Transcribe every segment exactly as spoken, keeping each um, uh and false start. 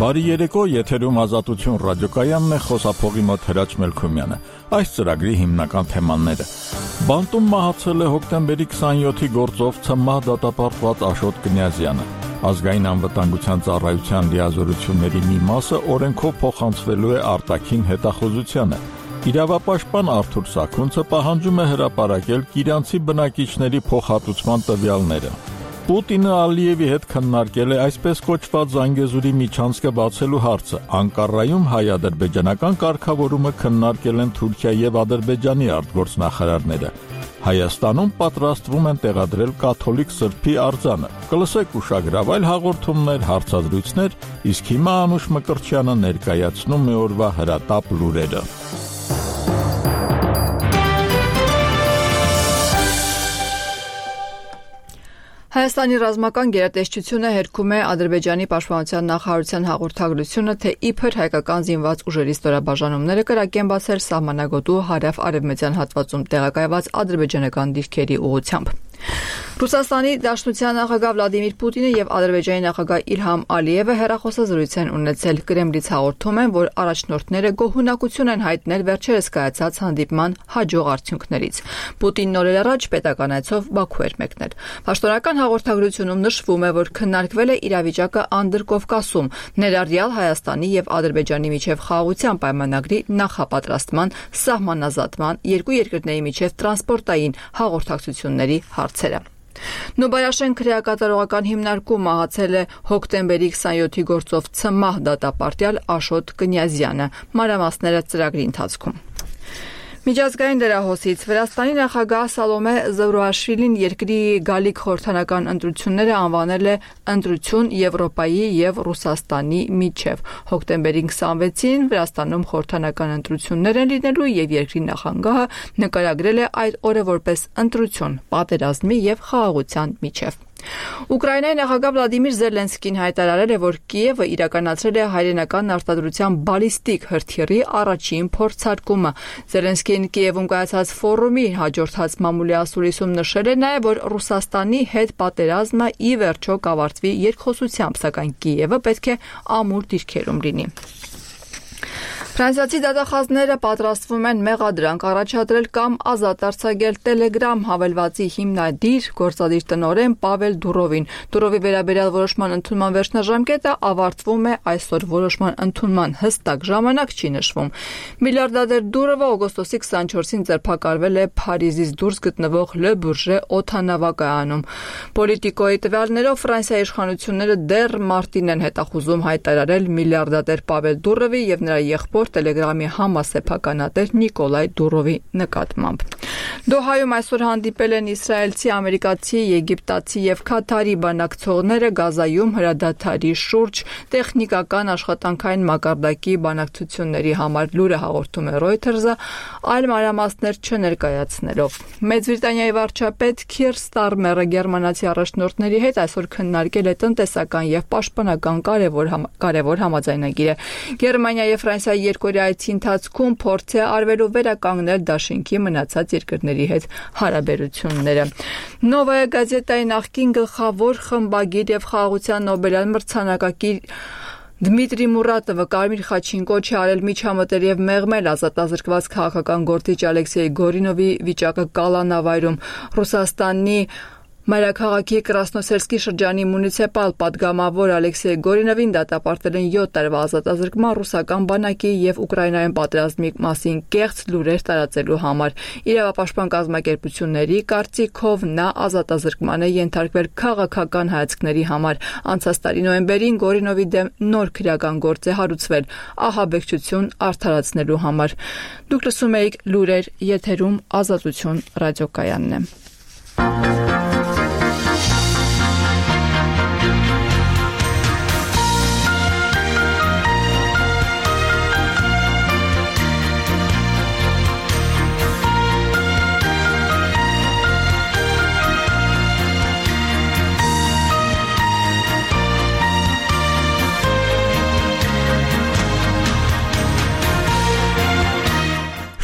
Բարի երեկո, եթերում Ազատություն ռադիոկայանն է, խոսափողի մոտ Հրաչ Մելքումյանը։ Այս ծրագրի հիմնական թեմաները. Բանտում մահացել է հոկտեմբերի քսաներկուի գործով ՑՄՀ դատապարտված Աշոտ Կնյազյանը։ Ազգային անվտանգության ծառայության լիազորությունների մի մասը օրենքով փոխանցվելու է արտաքին հետախուզությանը։ Իրավապաշտպան Արթուր Սաքունցը պահանջում է հրապարակել Կիրանցի բնակիչների փոխհատուցման տվյալները։ Պուտինը Ալիևի հետ քննարկել է այսպես կոչված Զանգեզուրի միջանցքը բացելու հարցը։ Անկարայում հայ-ադրբեջանական կարգավորումը քննարկել են Թուրքիա եւ Ադրբեջանի արտգործնախարարները։ Հայաստանում պատրաստվում են տեղադրել կաթոլիկ սրբի արձանը։ Կլսեք ուշագրավ այլ հաղորդումներ, հարցազրույցներ, իսկ հիմա Անուշ Մկրտչյանը ներկայացնում է օրվա հրատապ լուրերը։ Հայաստանի ռազմական գերատեսչությունը հերքում է Ադրբեջանի պաշտպանության նախարարության հաղորդագրությունը, թե իբր հայկական զինված ուժերի ստորաբաժանումները կրակեն բացել սահմանագոտու հարավ-արևմտյան հատվածում տեղակայված ադրբեջանական դիրքերի ուղղությամբ։ Ռուսաստանի Դաշնության նախագահ Վլադիմիր Պուտինը եւ Ադրբեջանի նախագահ Իլհամ Ալիևը հեռախոսազրույց են ունեցել։ Կրեմլից հաղորդում են, որ առաջնորդները գոհունակություն են հայտնել վերջերս կայացած հանդիպման հաջող արդյունքներից։ Պուտինն օրեր առաջ պետական այցով Բաքու էր մեկնել։ Պաշտոնական հաղորդագրությունում նշվում է, որ քննարկվել է իրավիճակը Անդրկովկասում, ներառյալ Հայաստանի եւ Ադրբեջանի միջև խաղաղության պայմանագրի նախապատրաստման, սահմանազատման, երկու երկրների միջև տրանսպորտային հաղորդակցությունների հարցերը։ Նոբայաշեն քրեակատարողական հիմնարկում մահացել է հոկտեմբերի քսաներկուի գործով ՑՄՀ դատապարտյալ Աշոտ Կնյազյանը։ Մանրամասները ծրագրի ընթացքում։ Միջազգային դերահոսից Վրաստանի նախագահ Սալոմե Զուրուաշվիլին երկրի գալիք խորհրդանական ընտրությունները անվանել է ընտրություն Եվրոպայի եւ Ռուսաստանի միջև։ Հոկտեմբերի քսանվեցին Վրաստանում խորհրդանական ընտրություններ են լինելու եւ երկրի նախագահը նկարագրել է այդ օրը որպես ընտրություն պատերազմի եւ խաղաղության միջև։ Ուկրաինայի նախագահ Վլադիմիր Զելենսկին հայտարարել է, որ Կիևը իրականացրել է հայրենական արտադրության բալիստիկ հրթիռի առաջին փորձարկումը։ Զելենսկին Կիևում կայացած ֆորումի հաջորդած մամուլի ասուլիսում նշել է նաև, որ Ռուսաստանի հետ պատերազմը ի վերջո կավարտվի երկխոսությամբ, սակայն Կիևը պետք է ամուր դիրքերում լինի։ Ֆրանսիացի դատախազները պատրաստվում են մեղադրանք առաջադրել կամ ազատ արձակել Telegram հավելվածի հիմնադիր գործադիր տնօրեն Պավել Դուրովին։ Դուրովի վերաբերյալ որոշման ընդունման վերջնաժամկետը ավարտվում է այսօր։ Որոշման ընդունման հստակ ժամանակ չի նշվում։ Միլիարդադեր Դուրովը օգոստոսի քսանչորսին ձերբակալվել է Փարիզից դուրս գտնվող Le Bourget օդանավակայանում։ Պոլիտիկոյի տվյալներով Ֆրանսիայի իշխանությունները դեռ մարտին են հետախուզում հայտարարել միլիարդադեր Պավել Դուրովի եւ նրա եղբոր Telegram-ի համասեփականատեր Նիկոլայ Դուրովի նկատմամբ։ Դոհայում այսօր հանդիպել են իսրայելցի, ամերիկացի, եգիպտացի եւ Քաթարի բանակցողները Գազայում հրադադարի շուրջ տեխնիկական աշխատանքային մակարդակի բանակցությունների համար։ Լուրը հաղորդում է Reuters-ը, այլ մանրամասներ չներկայացնելով։ Մեծ Բրիտանիայի վարչապետ Քիր Ստարմերը գերմանացի առաջնորդների հետ այսօր քննարկել է տնտեսական եւ պաշտպանական կարևոր համ, կարևոր համաձայնագիրը։ Գերմանիա եւ Ֆրանսիայի երկօրյա այցի ընթացքում փորձ է արվելու վերականգնել դաշինքի մնացած երկրների հետ հարաբերությունները։ Նովայա գազետայի նախկին գլխավոր խմբագիր եւ խաղաղության Նոբելյան մրցանակակիր Դմիտրի Մուրատովը կարմիր խաչին կոչ է արել միջամտել եւ մեղմել ազատազրկված քաղաքական գործիչ Ալեքսեյ Գորինովի վիճակը Կալանավայրում։ Ռուսաստանի Մայրաքաղաքի Կրասնոսելսկի շրջանի մունիցիպալ պատգամավոր Ալեքսեյ Գորինովին դատապարտել են յոթ տարվա ազատազրկման ռուսական բանակի եւ Ուկրաինայում պատերազմի մասին կեղծ լուրեր տարածելու համար։ Իրավապաշտպան կազմակերպությունների կարծիքով նա ազատազրկման է ենթարկվել քաղաքական հայացքների համար։ Անցած տարի նոյեմբերին Գորինովի դեմ նոր քրեական գործ է հարուցվել ահաբեկչություն արդարացնելու համար։ Դուք լսում եք լուրեր, եթերում Ազատություն ռադիոկայանն է։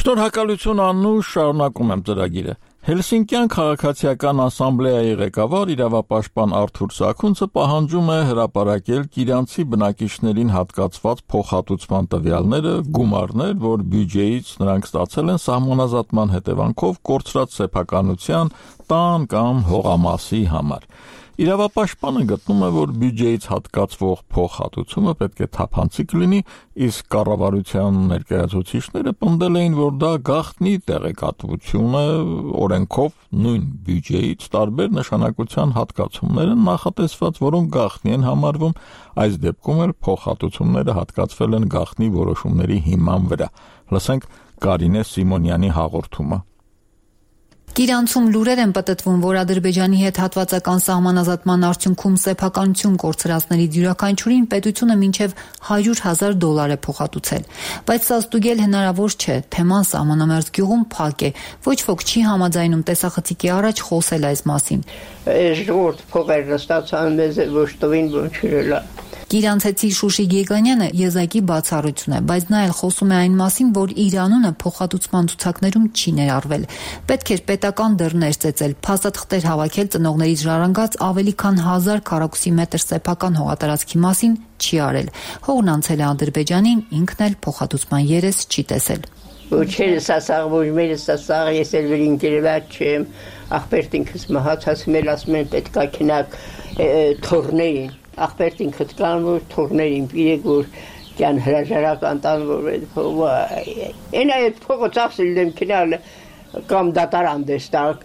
Շնորհակալություն Անուշ, շարունակում եմ ծրագիրը։ Հելսինկյան քաղաքացիական ասամբլեայի ղեկավար իրավապաշտպան Արթուր Սաքունցը պահանջում է հրապարակել Կիրանցի բնակիչներին հատկացված փոխհատուցման տվյալները, գումարներ, որ բյուջեից նրանք ստացել են սահմանազատման հետևանքով կորցրած սեփականության, տան կամ հողամասի համար։ Իրավապաշտպանը գտնում է, որ բյուջեից հատկացվող փոխհատուցումը պետք է թափանցիկ լինի, իսկ կառավարության ներկայացուցիչները պնդել էին, որ դա գաղտնի տեղեկատվություն է, օրենքով նույն բյուջեից տարբեր նշանակության հատկացումներ են նախատեսված, որոնք գաղտնի են համարվում, այս դեպքում էլ փոխհատուցումները հատկացվել են գաղտնի որոշումների հիման վրա։ Լսենք Կարինե Սիմոնյանի հաղորդումը։ Կիրանցում լուրեր են պտտվում, որ Ադրբեջանի հետ հատվածական սահմանազատման արդյունքում սեփականություն կորցրածների յուրաքանչյուրին պետությունը մինչև հարյուր հազար դոլար է փոխհատուցել։ Բայց սա ստուգել հնարավոր չէ, թեման սահմանամերձ գյուղում փակ է, ոչ ոք չի համաձայնում տեսախցիկի առաջ խոսել այս մասին։ Այս ժողովուրդ փողերը ստացան մեզ ոչ տվին ոչ չրելա։ Կիրանցեցի Շուշի Գեգանյանը եզակի բացառություն է, բայց նա էլ խոսում է այն մասին, որ իր անունը փոխհատուցման ցուցակներում չի ներառվել։ Պետք էր պետական դռներ ծեծել, փաստաթղթեր հավաքել ծնողներից ժառանգած ավելի քան հազար քառակուսի մետր սեփական հողատարածքի մասին չի արել։ Հողն անցել է Ադրբեջանին, ինքն էլ փոխհատուցման երես չի տեսել։ Ոչերս ասաղ, ոչ մերս ասաղ, ես էլ վեր ինկերված չեմ, աղբերտ ինքս մահացած մել ասում են պետք է քնակ թորներին, աղբերտ ինքս կան, որ թորներին պիրեք, որ կյան հրաժարական տան, որ են այդ փողը ծախսել դեմ քնալ կամ դատարան դեստակ,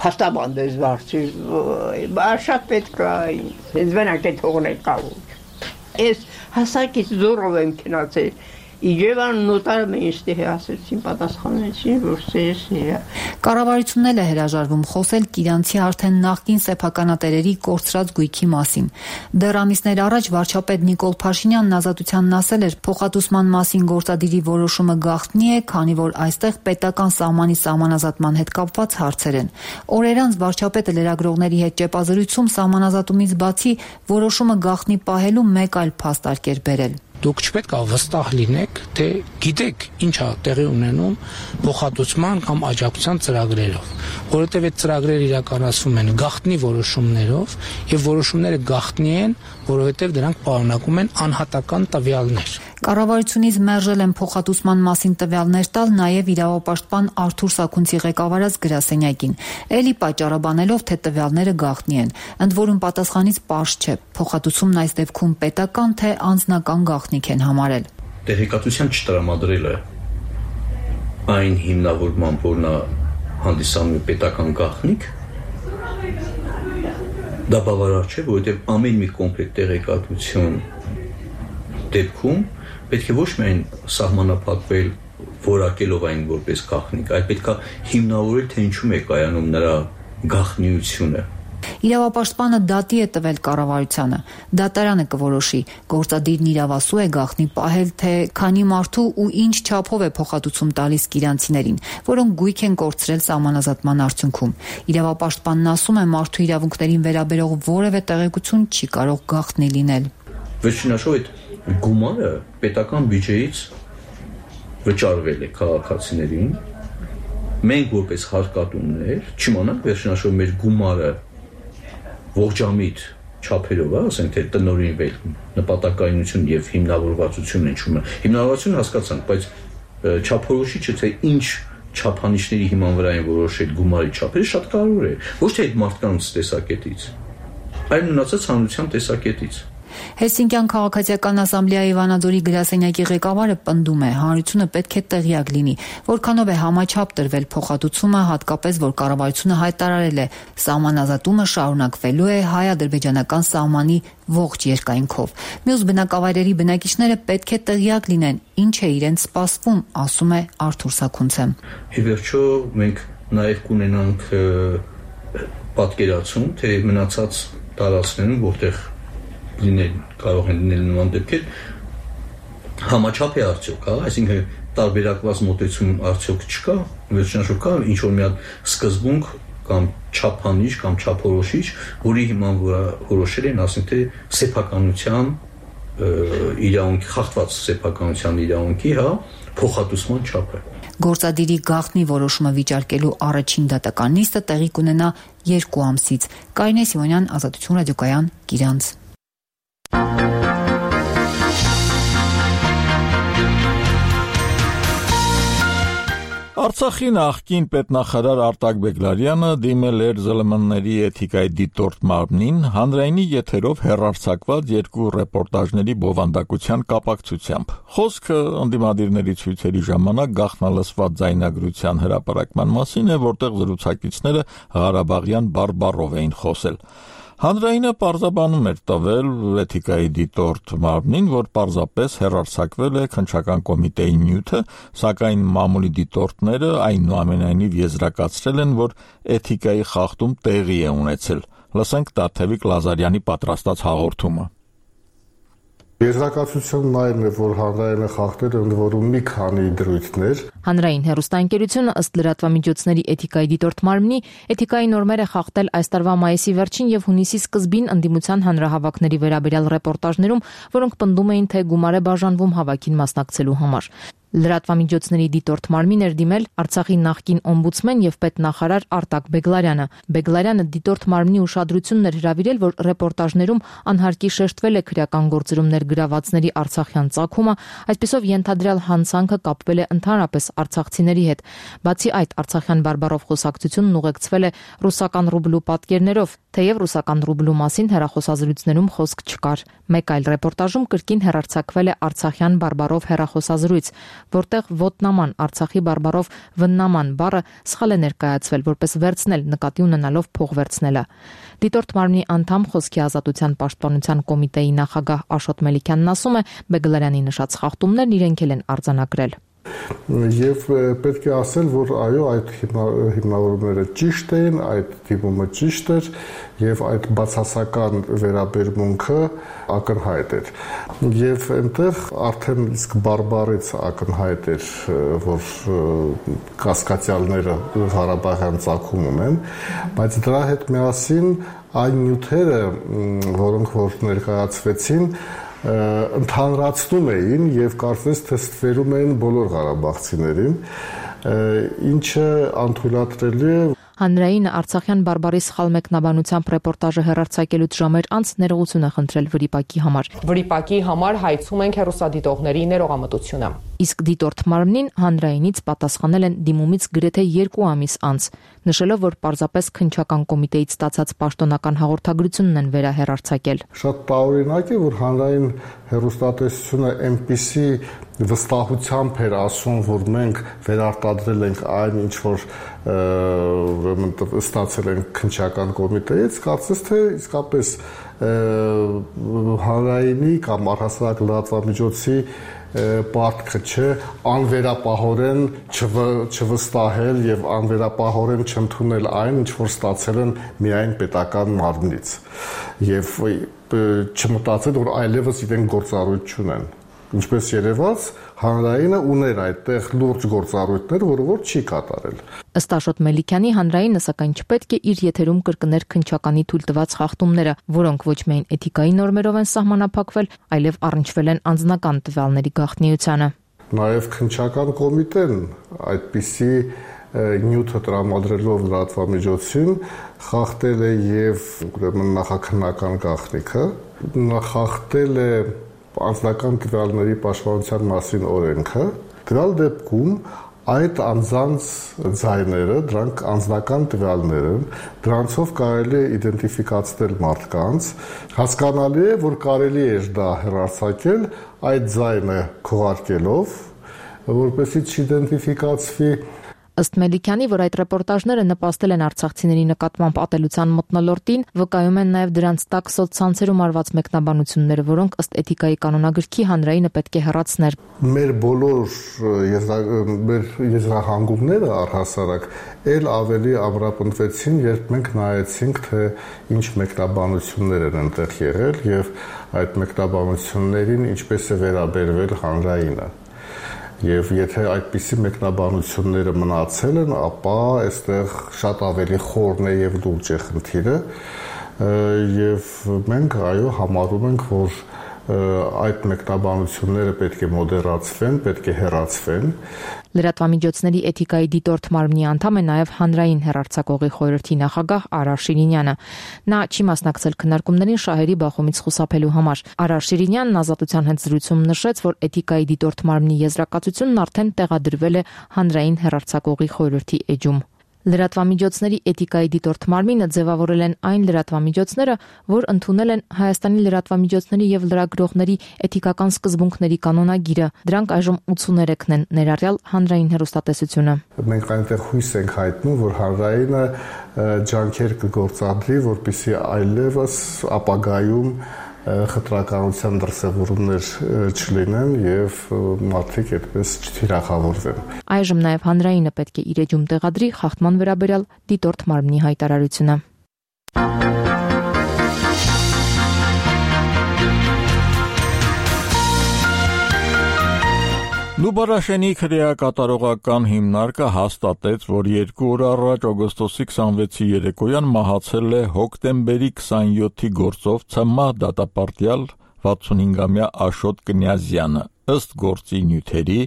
փաստաբան դես վարձի, շատ պետք է, հենց վենակ այդ հողն է կավոր։ Ես հասակից զորով եմ քնացել, Իջևան նոտարը մենստի ասեցին, պատասխանեցին, որ սերեսն է։ Կառավարությունն էլ է հրաժարվում խոսել Կիրանցի արդեն նախկին սեփականատերերի կորցրած գույքի մասին։ Դեռ ամիսներ առաջ վարչապետ Նիկոլ Փաշինյանն Ազատությանն ասել էր, փոխհատուցման մասին գործադիրի որոշումը գաղտնի է, քանի որ այստեղ պետական սահմանի սահմանազատման հետ կապված հարցեր են։ Օրեր անց վարչապետը լրագրողների հետ ճեպազրույցում սահմանազատումից բացի որոշումը գաղտնի պահելու մեկ այլ փաստ արկեր բերել։ Դուք չպետք է վստահ լինեք, թե գիտեք ինչ է տեղի ունենում փոխհատուցման կամ աջակցության ծրագրերով, որովհետև այդ ծրագրերը իրականացվում են գաղտնի որոշումներով եւ որոշումները գաղտնի են, որովհետև դրանք պարունակում են անհատական տվյալներ։ Կառավարությունից մերժել են փոխհատուցման մասին տվյալներ տալ նաև իրավապաշտպան Արթուր Սաքունցի ղեկավարած գրասենյակին, էլի պատճառաբանելով, թե տվյալները գաղտնի են, ընդ որում պատասխանից պարզ չէ, փոխհատուցումն այս դեպքում պետական թե անձնական գաղտնիք են համարել։ Տեղեկատվության չտրամադրելը այն հիմնավորմամբ, որ նա հանդիսանում է պետական գաղտնիք, դա բավարար չէ, որովհետև ամեն մի կոմպլեկտ տեղեկատվություն դեպքում պետք է ոչ միայն սահմանափակվել որակելով այն որպես գաղտնիք, այլ պետք է հիմնավորել, թե ինչու է կայանում նրա գաղտնիությունը։ Իրավապաշտպանը դատի է տվել կառավարությանը։ Դատարանը կորոշի, գործադիրն իրավասու է գաղտնի պահել, թե քանի մարդու ու ինչ չափով է փոխհատուցում տալիս կիրանցիներին, որոնք գույք են կորցրել սահմանազատման արդյունքում։ Իրավապաշտպանն ասում է, մարդու իրավունքներին վերաբերող որևէ տեղեկություն չի կարող գաղտնի լինել։ Վերջինաշով այդ գումարը պետական բյուջեից վճարվել է քաղաքացիներին, մենք որպես հարկատուններ չիմանանք վերջինաշով մեր գումարը ողջամիտ չափերով, ասենք թե տնօրինվել նպատակայնություն եւ հիմնավորվածություն են։ Հիմնավորվածությունը հասկացանք, բայց չափորոշիչը թե ինչ չափանիշների հիման վրա են որոշել գումարի չափերը շատ կարևոր է, ոչ թե այդ մարդկանց տեսակետից, այլ մնացած հանրության տեսակետից։ Հելսինկյան քաղաքացիական ասամբլեայի Վանաձորի գրասենյակի ղեկավարը պնդում է, հանրությունը պետք է տեղյակ լինի, որքանով է համաչափ տրվել փոխհատուցումը, հատկապես որ կառավարությունը հայտարարել է, սահմանազատումը շարունակվելու է հայ-ադրբեջանական սահմանի ողջ երկայնքով։ Մյուս բնակավայրերի բնակիչները պետք է տեղյակ լինեն, ինչ է իրենց սպասվում, ասում է Արթուր Սաքունցը։ Ի վերջո մենք նաև կունենանք պատկերացում, թե մնացած տարածքներում, որտեղ լինել կարող են լինել նման դեպքեր, համաչափ է արդյոք, հա, այսինքն տարբերակված մոտեցում արդյոք չկա, վերջնաշով կա ինչ որ մի հատ սկզբունք կամ չափանիշ կամ չափորոշիչ, որի հիման վրա որոշել են, ասենք թե սեփականության իրավունքի, խախտված սեփականության իրավունքի, հա, փոխհատուցման չափը։ Գործադիրի գաղտնի որոշումը վիճարկելու առաջին դատական նիստը տեղի կունենա երկու ամսից։ Կարինե Սիմոնյան, Ազատություն ռադիոկայան, Գիրանց։ Արցախի նախկին պետնախարար Արտակ Բեգլարյանը դիմել էր ԶԼՄ-ների էթիկայի դիտորդ մարմնին հանրայինի եթերով հեռարձակված երկու ռեպորտաժների բովանդակության կապակցությամբ։ Խոսքը ընդդիմադիրների ցույցերի ժամանակ գաղտնալսված ձայնագրության հրապարակման մասին է, որտեղ զրուցակիցները Ղարաբաղյան բարբառով էին խոսել։ Հանրայինը պարզաբանում էր տվել էթիկայի դիտորդ մարմնին, որ պարզապես հեռարձակվել է քննչական կոմիտեի նյութը, սակայն մամուլի դիտորդները այնուամենայնիվ եզրակացրել են, որ էթիկայի խախտում տեղի է ունեցել։ Լսենք Տաթևիկ Լազարյանի պատրաստած հաղորդումը։ Եզրակացությունն այն է, որ հանրայինը խախտել ընդ որում մի քանի դրույթներ։ Հանրային հեռուստաընկերությունը ըստ լրատվամիջոցների էթիկայի դիտորդ մարմնի էթիկայի նորմերը խախտել այս տարվա մայիսի վերջին եւ հունիսի սկզբին ընդդիմության հանրահավաքների վերաբերյալ ռեպորտաժներում, որոնք պնդում էին, թե գումար է բաժանվում հավաքին մասնակցելու համար։ Լրատվամիջոցների դիտորդ մարմին էր դիմել Արցախի նախկին օմբուդսմեն եւ պետնախարար Արտակ Բեգլարյանը։ Բեգլարյանը դիտորդ մարմնի ուշադրությունն էր հրավիրել, որ ռեպորտաժներում անհարկի շեշտվել է քրեական գործերումներ գրավածների արցախյան ծագումը, այսպիսով ենթադրյալ հանցանքը կապվել է ընդհանրապես արցախցիների հետ։ Բացի այդ, արցախյան բարբառով խոսակցությունն ուղեկցվել է ռուսական ռուբլու պատկերներով, թեև ռուսական ռուբլու մասին հեռախոսազրույցներում խոսք չկար։ Մեկ այլ ռեպորտաժում կրկին հեռարձակվել է արցախյան բարբառով հեռախոսազրույց, որտեղ ոտնաման Արցախի բարբառով վննաման բառը սխալ է ներկայացվել, որպես վերցնել նկատի ունենալով փող վերցնելը։ Դիտորդ մարմնի անդամ Խոսքի ազատության պաշտպանության կոմիտեի նախագահ Աշոտ Մելիքյանն ասում է, Բեգլարյանի նշած խախտումներն իրենք էլ են արձանագրել։ Եվ պետք է ասել, որ այո, այդ հիմնավորումները ճիշտ էին, այդ դիմումը ճիշտ էր եւ այդ բացասական վերաբերմունքը ակնհայտ էր։ Եվ այնտեղ արդեն իսկ բարբառից ակնհայտ էր, որ կասկածյալները Ղարաբաղյան ծագում ունեն, բայց դրա հետ միասին այն նյութերը, որոնք որ ներկայացվեցին, ընդհանրացնում էին եւ կարծես թե ստվերում էին բոլոր ղարաբաղցիներին, ինչը անթույլատրելի է։ Հանրայինը Արցախյան բարբառի սխալ մեկնաբանությամբ ռեպորտաժը հեռարձակելուց ժամեր անց ներողություն է խնդրել վրիպակի համար։ Վրիպակի համար հայցում ենք հեռուստադիտողների ներողամտությունը։ Իսկ դիտորդ մարմնին հանրայինից պատասխանել են դիմումից գրեթե երկու ամիս անց, նշելով, որ պարզապես քննչական կոմիտեից ստացած պաշտոնական հաղորդագրությունն են վերահեռարձակել։ Շատ տարօրինակ է, որ հանրային հեռուստատեսությունը այնպիսի վստահությամբ էր ասում, որ մենք վերարտադրել ենք այն, ինչ որ ստացել ենք քննչական կոմիտեից, կարծես թե իսկապես հանրայինի կամ առհասարակ լրատվամիջոցի պարտքը չէ անվերապահորեն չվստահել եւ անվերապահորեն չընդունել այն, ինչ որ ստացել են միայն պետական մարմնից եւ չմտածել, որ այլևս իրենք գործառույթ չունեն։ Ինչպես երևաց, հանրայինը ուներ այդտեղ լուրջ գործառույթներ, որը որ չի կատարել։ Ըստ Աշոտ Մելիքյանի, հանրայինը սակայն չպետք է իր եթերում կրկներ քննչականի թույլտված խախտումները, որոնք ոչ միայն էթիկայի նորմերով են սահմանափակվել, այլև առնչվել են անձնական տվյալների գաղտնիությանը։ Նաև քննչական կոմիտեն այդպիսի նյութը տրամադրելով լրատվամիջոցին խախտել է եւ ուրեմն նախաքննական գաղտնիքը, խախտել է անձնական տվյալների պաշտպանության մասին օրենքը, դրալ դեպքում այդ անձանց ձայները, դրանք անձնական տվյալներ են, դրանցով կարելի է իդենտիֆիկացնել մարդկանց, հասկանալի է, որ կարելի է դա հեռարձակել այդ ձայնը քողարկելով, որպեսզի չիդենտիֆիկացվի։ Ըստ Մելիքյանի, որ այդ ռեպորտաժները նպաստել են արցախցիների նկատմամբ ատելության մթնոլորտին, վկայում են նաև դրանց տակ սոցցանցերում արված մեկնաբանությունները, որոնք ըստ էթիկայի կանոնագրքի հանրայինը պետք է հեռացներ։ Մեր բոլոր մեր եզրահանգումները առհասարակ ել ավելի ամրապնդվեցին, երբ մենք նայեցինք, թե ինչ մեկնաբանություններ են այնտեղ եղել եւ այդ մեկնաբանություններին ինչպես է վերաբերվել հանրայինը։ Եվ եթե այդպիսի մեկնաբանությունները մնացել են, ապա այստեղ շատ ավելի խորն է եւ լուրջ է խնդիրը, եւ մենք այո համարում ենք, որ այդ մեկնաբանությունները պետք է մոդերացվեն, պետք է հեռացվեն։ Լրատվամիջոցների էթիկայի դիտորդ մարմնի անդամ է նաև հանրային հեռարձակողի խորհրդի նախագահ Արար Շիրինյանը։ Նա չի մասնակցել քննարկումներին շահերի բախումից խուսափելու համար։ Արար Շիրինյանն Ազատության հետ զրույցում նշեց, որ էթիկայի դիտորդ մարմնի եզրակացությունն արդեն տեղադրվել է հանրային հեռարձակողի խորհրդի էջում։ Լրատվամիջոցների էթիկայի դիտորդ մարմինը ձևավորել են այն լրատվամիջոցները, որ ընդունել են Հայաստանի լրատվամիջոցների եւ լրագրողների էթիկական սկզբունքների կանոնագիրը։ Դրանք այժմ ութսուներեքն են, ներառյալ հանրային հեռուստատեսությունը։ Մենք այնտեղ հույս ենք հայտնում, որ հանրայինը ջանքեր կգործադրի, որպեսզի այլևս ապագայում խտրականության դրսևորումներ չլինեն եւ մարդիկ այդպես չթիրախավորվեն։ Այժմ նաև հանրայինը պետք է իր էջում տեղադրի խախտման վերաբերյալ դիտորդ մարմնի հայտարարությունը։ Նուբարաշենի քրեակատարողական հիմնարկը հաստատեց, որ երկու օր առաջ օգոստոսի քսանվեցի երեկոյան մահացել է հոկտեմբերի քսանյոթի գործով ՑՄՀ դատապարտյալ վաթսունհինգամյա Աշոտ Կնյազյանը։ Ըստ գործի նյութերի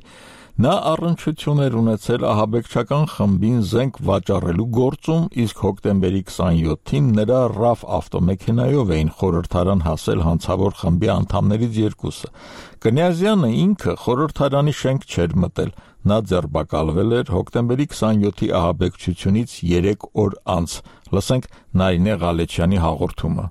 նա առնչություն էր ունեցել ահաբեկչական խմբին զենք վաճառելու գործում, իսկ հոկտեմբերի քսանյոթին նրա ռաֆ ավտոմեքենայով էին խորհրդարան հասել հանցավոր խմբի անդամներից երկուսը։ Կնյազյանը ինքը խորհրդարանի շենք չէր մտել։ Նա ձերբակալվել էր հոկտեմբերի քսանյոթի ահաբեկչությունից երեք օր անց։ Լսենք Նարինե Ղալեչյանի հաղորդումը։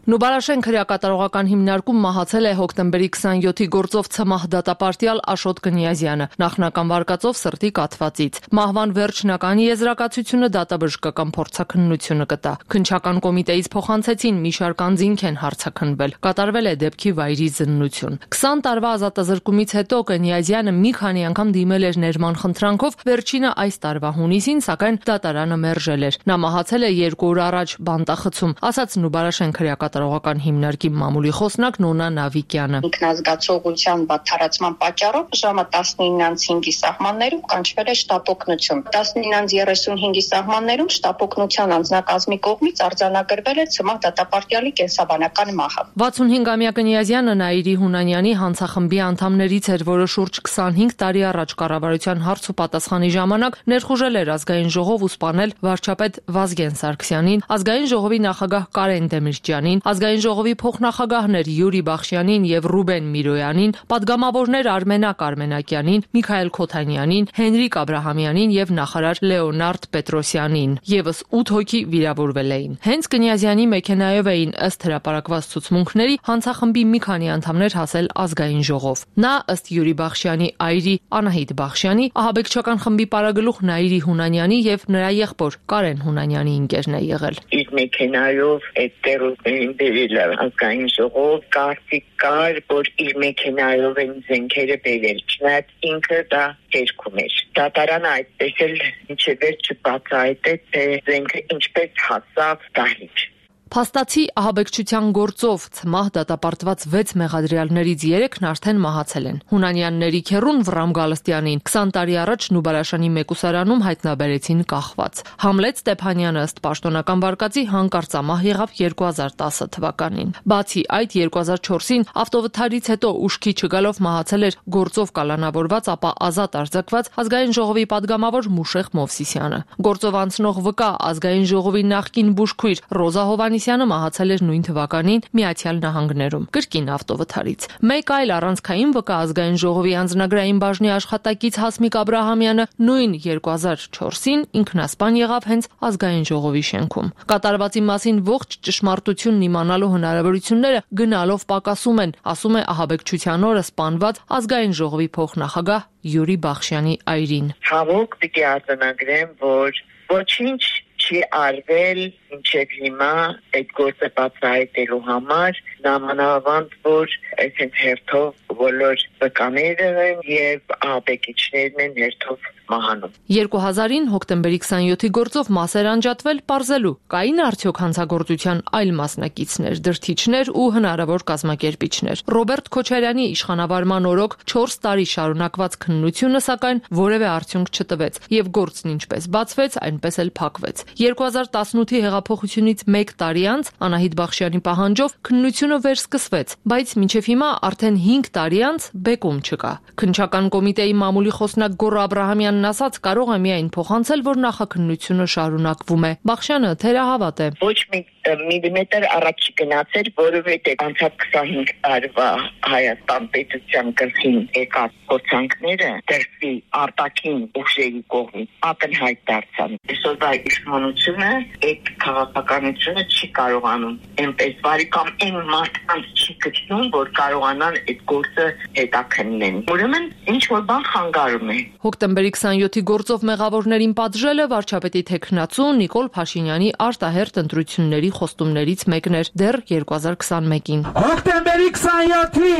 Նուբարաշեն քրեակատարողական հիմնարկում մահացել է հոկտեմբերի քսանյոթի գործով ՑՄՀ դատապարտյալ Աշոտ Կնյազյանը նախնական վարկածով սրտի կաթվածից։ Մահվան վերջնականի եզրակացությունը դատաբժշկական փորձաքննությունը կտա։ Քննչական կոմիտեից փոխանցեցին մի շարք անձինք են հարցաքննվել։ Կատարվել է դեպքի վայրի զննություն։ քսան տարվա ազատազրկումից հետո Կնյազյանը մի քանի անգամ դիմել էր ներման խնդրանքով, վերջինը այս տարվա հունիսին, սակայն դատարանը մերժել էր։ Նա մահացել է երկու օր առաջ բանտախցում, ասաց Նուբարաշեն քրեակատարողական հիմնարկի մամուլի խոսնակ Նոնա Նավիկյանը։ Ինքնազգացողության բացառացման պատճառով ժամը տասնինից հինգի սահմաններում կանչվել է շտապօգնություն։ տասնինից երեսունհինգի սահմաններում շտապօգնության անձնակազմի կողմից արձանագրվել է ՑՄՀ դատապարտյալի կենսաբանական մահը։ վաթսունհինգամյա Կնյազյանը Նաիրի Հունանյանի հանցախմբի անդամներից էր, որը շուրջ քսանհինգ տարի առաջ կառավարության հարց ու պատասխանի ժամանակ ներխուժել էր ազգային ժողով ու սպանել վարչապետ Վազգեն Սարգսյանին, ազգային ժողովի նախագահ Կարեն Դեմիրճյանին, ազգային ժողովի փոխնախագահներ Յուրի Բախշյանին եւ Ռուբեն Միրոյանին, պատգամավորներ Արմենակ Արմենակյանին, Միքայել Քոթանյանին, Հենրիկ Աբրահամյանին եւ նախարար Լեոնարդ Պետրոսյանին։ Եվս ութ հոգի վիրավորվել էին։ Հենց Կնյազյանի մեքենայով էին ըստ հրապարակված ցուցմունքների հանցախմբի մի քանի անդամներ հասել ազգային ժողով։ Նա ըստ Յուրի Բախշյանի այրի Անահիտ Բախշյանի, ահաբեկչական խմբի պարագլուխ Նաիրի Հունանյանի եւ նրա եղբոր Կարեն Հունանյանի ընկերն է եղել։ Իր մեքենայով այդտեղին բերել ազգային ժողով, կարծիք կար, որ իր մեքենայով են զենքերը բերել, չնայած ինքը դա հերքում էր։ Դատարանը այդպես էլ մինչև վերջ չբացահայտեց, թե զենքը ինչպես հասավ դահլիճ։ Փաստացի ահաբեկչության գործով ՑՄՀ դատապարտված վեց մեղադրյալներից երեքն արդեն մահացել են։ Հունանյանների քեռուն Վռամ Գալստյանին քսան տարի առաջ Նուբարաշանի մեկուսարանում հայտնաբերեցին կախված։ Համլետ Ստեփանյանը ըստ պաշտոնական վարկածի հանկարծամահ եղավ երկու հազար տասը թվականին։ Բացի այդ երկու հազար չորսին ավտովթարից հետո ուշքի չգալով մահացել էր գործով կալանավորված, ապա ազատ արձակված ազգային ժողովի падգամավոր Մուշեղ Մովսիսյանը։ Գործով անցնող վկա ազգային ժողովի նախկին բուժքույր Ռոզա Հովանիսյանը մահացել էր նույն թվականին Միացյալ Նահանգներում կրկին ավտովթարից։ Մեկ այլ առանցքային վկա ազգային ժողովի անձնագրային բաժնի աշխատակից Հասմիկ Աբրահամյանը նույն երկու հազար չորսին ինքնասպան եղավ հենց ազգային ժողովի շենքում։ Կատարվածի մասին ողջ ճշմարտությունն իմանալու հնարավորությունները գնալով պակասում են, ասում է ահաբեկչության օրը սպանված ազգային ժողովի փոխնախագահ Յուրի Բախշյանի այրին։ Ցավոք պիտի արձանագրեմ, որ ոչինչ չի արվել մինչև հիմա այդ գործը բացահայտելու համար, նամանավանդ որ այսպես հերթով բոլոր վկաները եւ ահաբեկիչներն են հերթով մահանում։ երկու հազարին հոկտեմբերի քսանյոթի գործով մասեր անջատվել պարզելու կային արդյոք հանցագործության այլ մասնակիցներ, դրթիչներ ու հնարավոր կազմակերպիչներ։ Ռոբերտ Քոչարյանի իշխանավարման օրոք չորս տարի շարունակված քննությունը սակայն որևէ արդյունք չտվեց եւ գործն ինչպես բացվեց, այնպես էլ փակվեց։ երկու հազար տասնութի հեղափոխությունից մեկ տարի անց Անահիտ Բախշյանի պահանջով քննությունը վերսկսվեց, բայց մինչև հիմա արդեն հինգ տարի անց բեկում չկա։ Քննչական կոմիտեի մամուլի խոսնակ Գոռ Աբրահամյանն ասաց, կարող է միայն փոխանցել, որ նախաքննությունը շարունակվում է։ Բախշյանը թերահավատ է։ Ոչ մի միլիմետր առաջ չգնացել, որովհետև անցած քսանհինգ տարվա Հայաստան պետության գլխին եկած փորձանքները դրսի արտաքին ուժերի կողմից ակնհայտ դարձան։ Այսօրվա իշխանությունը այդ քաղաքականությունը չի կարողանում այնպես վարի կամ այն մարդկանց չի գտնում, որ կարողանան այդ գործը հետաքննեն։ Ուրեմն ինչ որ բան խանգարում է։ Հոկտեմբերի քսանյոթի գործով մեղավորներին պատժելը վարչապետի թեկնածու Նիկոլ Փաշինյանի արտահերթ ընտրությունների խոստումներից մեկն էր դեռ երկու հազար քսանմեկին։ Հոկտեմբերի քսանյոթի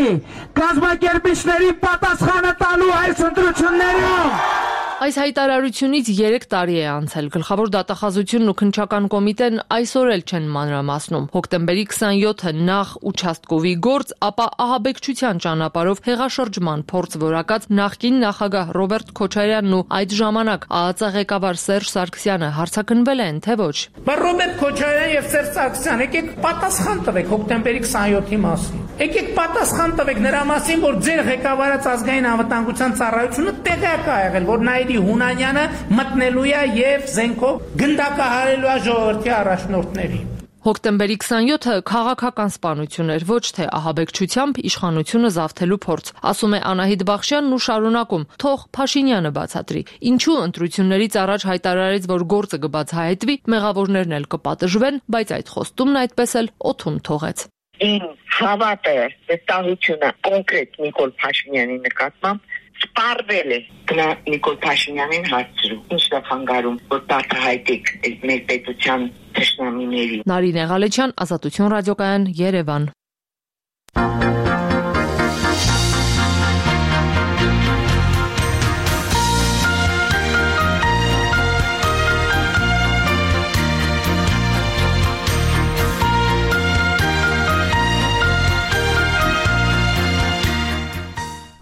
կազմակերպիչներին պատասխանը տալու այս ընտրություններում։ Այս հայտարարությունից երեք տարի է անցել։ Գլխավոր դատախազությունն ու քննչական կոմիտեն այսօր էլ չեն մանրամասնում։ Հոկտեմբերի քսանյոթը նախ участковի գործ, ապա ահաբեկչության ճանապարհով հեղաշրջման փորձ որակած նախկին նախագահ Ռոբերտ Քոչարյանն ու այդ ժամանակ ԱԱԾ ղեկավար Սերժ Սարգսյանը հարցակնվել են, թե ոչ։ Բայց Ռոբերտ Քոչարյան եւ Սերժ Սարգսյան, եկեք պատասխան տվեք հոկտեմբերի քսանյոթի մասին։ Եկեք պատասխան տվեք նրա մասին, որ ձեր ղեկավարած ազգային անվտանգության ծառայությունը տեղյակ է եղել, որ նա Հունանյանը մտնելու է եւ զենքով գնդակահարելու է ժողովրդի առաջնորդներին։ Հոկտեմբերի քսանյոթը քաղաքական սպանություն էր, ոչ թե ահաբեկչությամբ իշխանությունը զավթելու փորձ, ասում է Անահիտ Բախշյանն ու շարունակում. թող Փաշինյանը բացատրի, ինչու ընտրություններից առաջ հայտարարեց, որ գործը կբացահայտվի, մեղավորներն էլ կպատժվեն, բայց այդ խոստումն այդպես էլ օդում թողեց։ Ին հավատը, վստահությունը կոնկրետ Նիկոլ Փաշինյանի նկատմամբ սպառվել է։ Գնա Նիկոլ Փաշինյանին հարցրու, ի՞նչն է խանգարում, որ բացահայտեք այս մեր պետության թշնամիների։ Նարինե Ղալեչյան, Ազատություն ռադիոկայան, Երևան։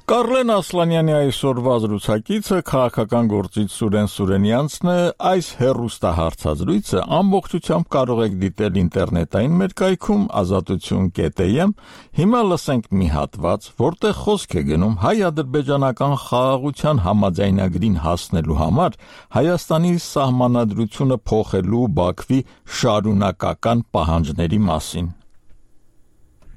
Կարլեն Ասլանյանի այսօրվա զրուցակիցը քաղաքական գործիչ Սուրեն Սուրենյանցն է, այս հեռուստահարցազրույցը ամբողջությամբ կարող եք դիտել ինտերնետային մեր կայքում ազատություն կետ եմ, հիմա լսենք մի հատված, որտեղ խոսք է գնում հայ-ադրբեջանական խաղաղության համաձայնագրին հասնելու համար Հայաստանի սահմանադրությունը փոխելու Բաքվի շարունակական պահանջների մասին։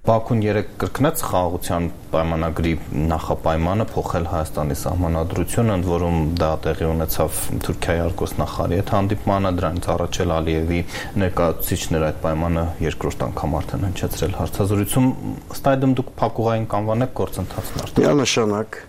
Բաքուն երեք կրկնեց խաղաղության պայմանագրի նախապայմանը փոխել Հայաստանի սահմանադրությունը, ընդ որում դա տեղի ունեցավ Թուրքիայի արտգործնախարարի հետ հանդիպմանը, դրանից առաջ էլ Ալիևի ներկայացուցիչները այդ պայմանը երկրորդ անգամ արդեն հնչեցրել հարցազրույցում, ըստ այդմ դուք փակուղային կանվանեք գործընթացն արդեն։ Միանշանակ,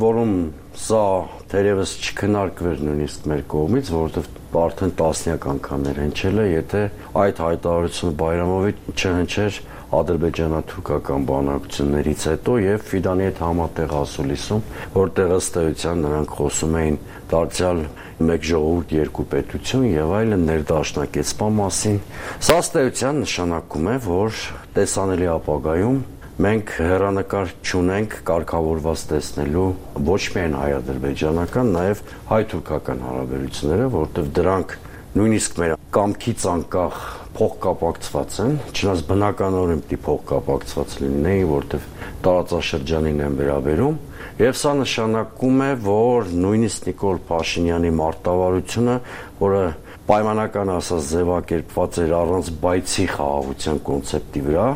որում սա թերևս չքննարկվեր նույնիսկ մեր կողմից, որովհետև արդեն տասնյակ անգամներ հնչել է, եթե այդ հայտարարությունը Բայրամովի չհնչեր ադրբեջանա-թուրքական բանակցություններից հետո եւ Ֆիդանի հետ համատեղ ասուլիսում, որտեղ ըստ էության նրանք խոսում էին դարձյալ մեկ ժողովուրդ երկու պետություն եւ այլն ներդաշնակեցման մասին։ Սա ըստ էության նշանակում է, որ տեսանելի ապագայում մենք հեռանկար չունենք կարգավորված տեսնելու ոչ միայն հայ-ադրբեջանական, նաեւ հայ-թուրքական հարաբերությունները, որտեղ դրանք նույնիսկ մեր կամքից անկախ փոխկապակցված են, չնայած բնականորեն պիտի փոխկապակցված լինեին, որտեղ տարածաշրջանին են վերաբերում, եւ սա նշանակում է, որ նույնիսկ Նիկոլ Փաշինյանի մարտավարությունը, որը պայմանական ասած ձևակերպված էր առանց բայցի խաղաղության կոնցեպտի վրա,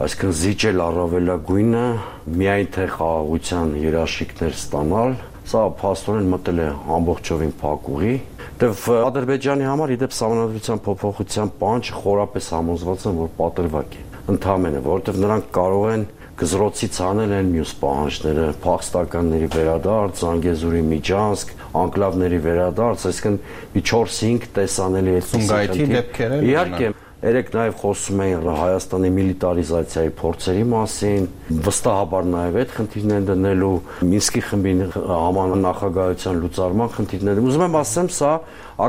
այսինքն զիջել առավելագույնը միայն թե խաղաղության երաշխիքներ ստանալ, սա փաստորեն մտել է ամբողջովին փակուղի։ Դեվ Ադրբեջանի համար իդեպ սահմանադրության փոփոխության պահանջը խորապես համոզված են, որ պատրվակ է։ Ընդհանրապես, որովհետև նրանք կարող են գզրոցից անել են մյուս պահանջները, փախստականների վերադարձ, Զանգեզուրի միջանցք, անկլավների վերադարձ, այսինքն մի չորս-հինգ տեսանելի է Սումգայիթի դեպքերը։ Իհարկե, երեք նաև խոսում էին Հայաստանի միլիտարիզացիայի փորձերի մասին, վստահաբար նաև այդ խնդիրներն դնելու, Մինսկի խմբի համանախագահության լուծարման խնդիրները։ Ուզում եմ ասեմ, սա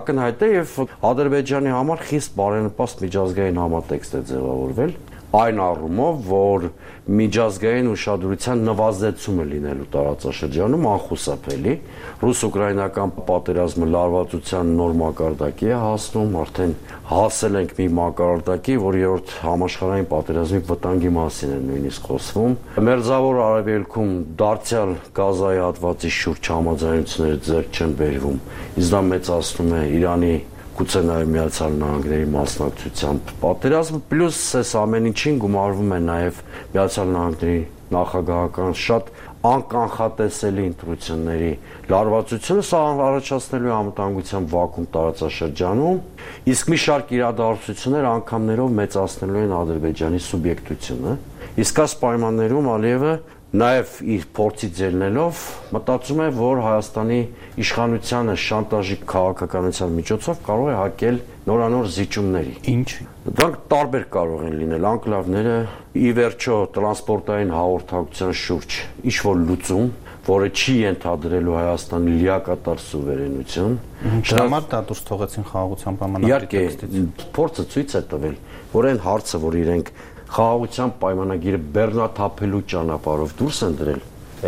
ակնհայտ է եւ Ադրբեջանի համար խիստ բարենպաստ միջազգային համատեքստ է ձևավորվել, այն առումով, որ միջազգային ուշադրության նվազեցումը լինելու տարածաշրջանում անխուսափելի, ռուս-ուկրաինական պատերազմը լարվածության նոր մակարդակի է հասնում, արդեն հասել ենք մի մակարդակի, որ երրորդ համաշխարհային պատերազմի վտանգի մասին է նույնիսկ խոսվում։ Մերձավոր Արևելքում դարձյալ Գազայի հատվածի շուրջ համաձայնությունները ձեռք չեն բերվում, իսկ դա մեծացնում է Իրանի գուցե նաև Միացյալ Նահանգների մասնակցությամբ պատերազմը, պլյուս այս ամեն ինչին գումարվում է նաև Միացյալ Նահանգների նախագահական շատ անկանխատեսելի ընտրությունների լարվածությունը, սա առաջացնելու է անվտանգության վակուում տարածաշրջանում, իսկ մի շարք իրադարձություններ անգամներով մեծացնելու են Ադրբեջանի սուբյեկտությունը, իսկ այս պայմաններում Ալիևը նաև իր փորձից ելնելով մտածում է, որ Հայաստանի իշխանությանը շանտաժի քաղաքականության միջոցով կարող է հակել նորանոր զիջումների։ Ինչ։ Դրանք տարբեր կարող են լինել, անկլավները ի վերջո տրանսպորտային հաղորդակցության շուրջ ինչ-որ լուծում, որը չի ենթադրելու Հայաստանի լիակատար սուվերենություն։ Դրամար դա դուրս թողեցին խաղաղության պայմանագրի տեքստից։ Իհարկե, փորձը ցույց է տվել, որ այն հարցը, որ իրենք խաղաղության պայմանագիրը բեռնաթափելու ճանապարհով դուրս են դրել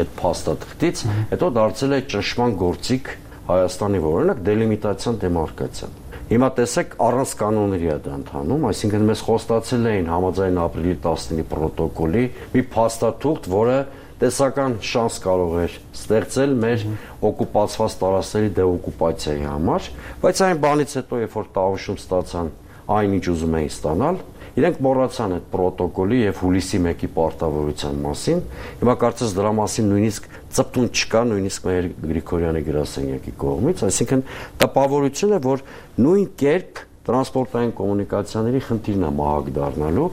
այդ փաստաթղթից, հետո դարձել է ճնշման գործիք Հայաստանի, օրինակ դելիմիտացիան դեմարկացիան։ Հիմա տեսեք, առանց կանոնների է դա ընթանում, այսինքն մեզ խոստացել էին համաձայն ապրիլի տասնինի պրոտոկոլի մի փաստաթուղթ, որը տեսական շանս կարող էր ստեղծել մեր օկուպացված տարածքների դեօկուպացիայի համար, բայց այն բանից հետո, երբ որ տավուշում ստացան այն, ինչ ուզում էին ստանալ, իրենք մոռացան այդ պրոտոկոլի եւ հուլիսի մեկի պարտավորության մասին։ Հիմա կարծես դրա մասին նույնիսկ ծպտուն չկա, նույնիսկ մեր Գրիգորյանի գրասենյակի կողմից, այսինքն տպավորություն է, որ նույն կերպ տրանսպորտային կոմունիկացիաների խնդիրն է մահակ դառնալու։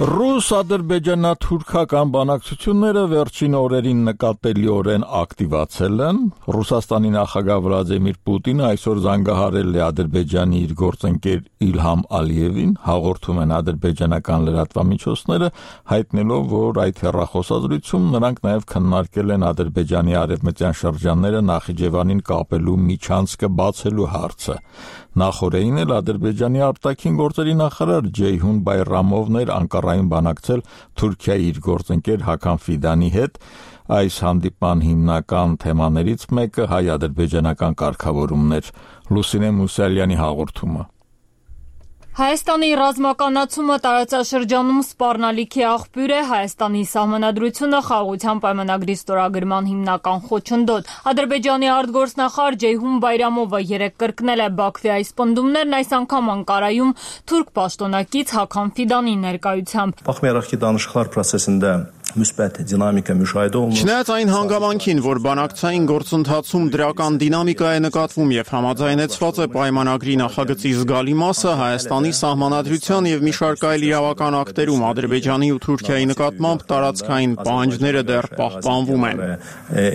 Ռուս-ադրբեջանա-թուրքական բանակցությունները վերջին օրերին նկատելիորեն ակտիվացել են։ Ռուսաստանի նախագահ Վլադիմիր Պուտինը այսօր զանգահարել է Ադրբեջանի իր գործընկեր Իլհամ Ալիևին, հաղորդում են ադրբեջանական լրատվամիջոցները, հայտնելով, որ այդ հեռախոսազրույցում նրանք նաև քննարկել են Ադրբեջանի արևմտյան շրջանները Նախիջևանին կապելու միջանցքը բացելու հարցը։ Նախորդին էլ Ադրբեջանի արտաքին գործերի նախարար Ջեյհուն Բայրամովն էր Անկարայում բանակցել Թուրքիայի իր գործընկեր Հական Ֆիդանի հետ։ Այս հանդիպման հիմնական թեմաներից մեկը հայ-ադրբեջանական կարգավորումն էր։ Լուսինե Մուսալյանի հաղորդումը։ Հայաստանի ռազմականացումը տարածաշրջանում սպառնալիքի աղբյուր է, Հայաստանի սահմանադրությունը խաղաղության պայմանագրի ստորագրման հիմնական խոչընդոտ։ Ադրբեջանի արտգործնախարար Ջեյհուն Բայրամովը երեկ կրկնել է Բաքվի այս պնդումներն, այս անգամ Անկարայում թուրք պաշտոնակից Հական Ֆիդանի ներկայությամբ։ Բախմերախի danışıqlar prosesində müsbət dinamika müşahidə olunur։ Չնայած այն հանգամանքին, որ բանակցային գործընթացում դրական դինամիկա է նկատվում եւ համաձայնեցված է պայմանագրի նախագծի զգալի մասը, Հայաստանի սահմանադրության եւ մի շարք այլ իրավական ակտերում Ադրբեջանի ու Թուրքիայի նկատմամբ տարածքային պահանջները դեռ պահպանվում են։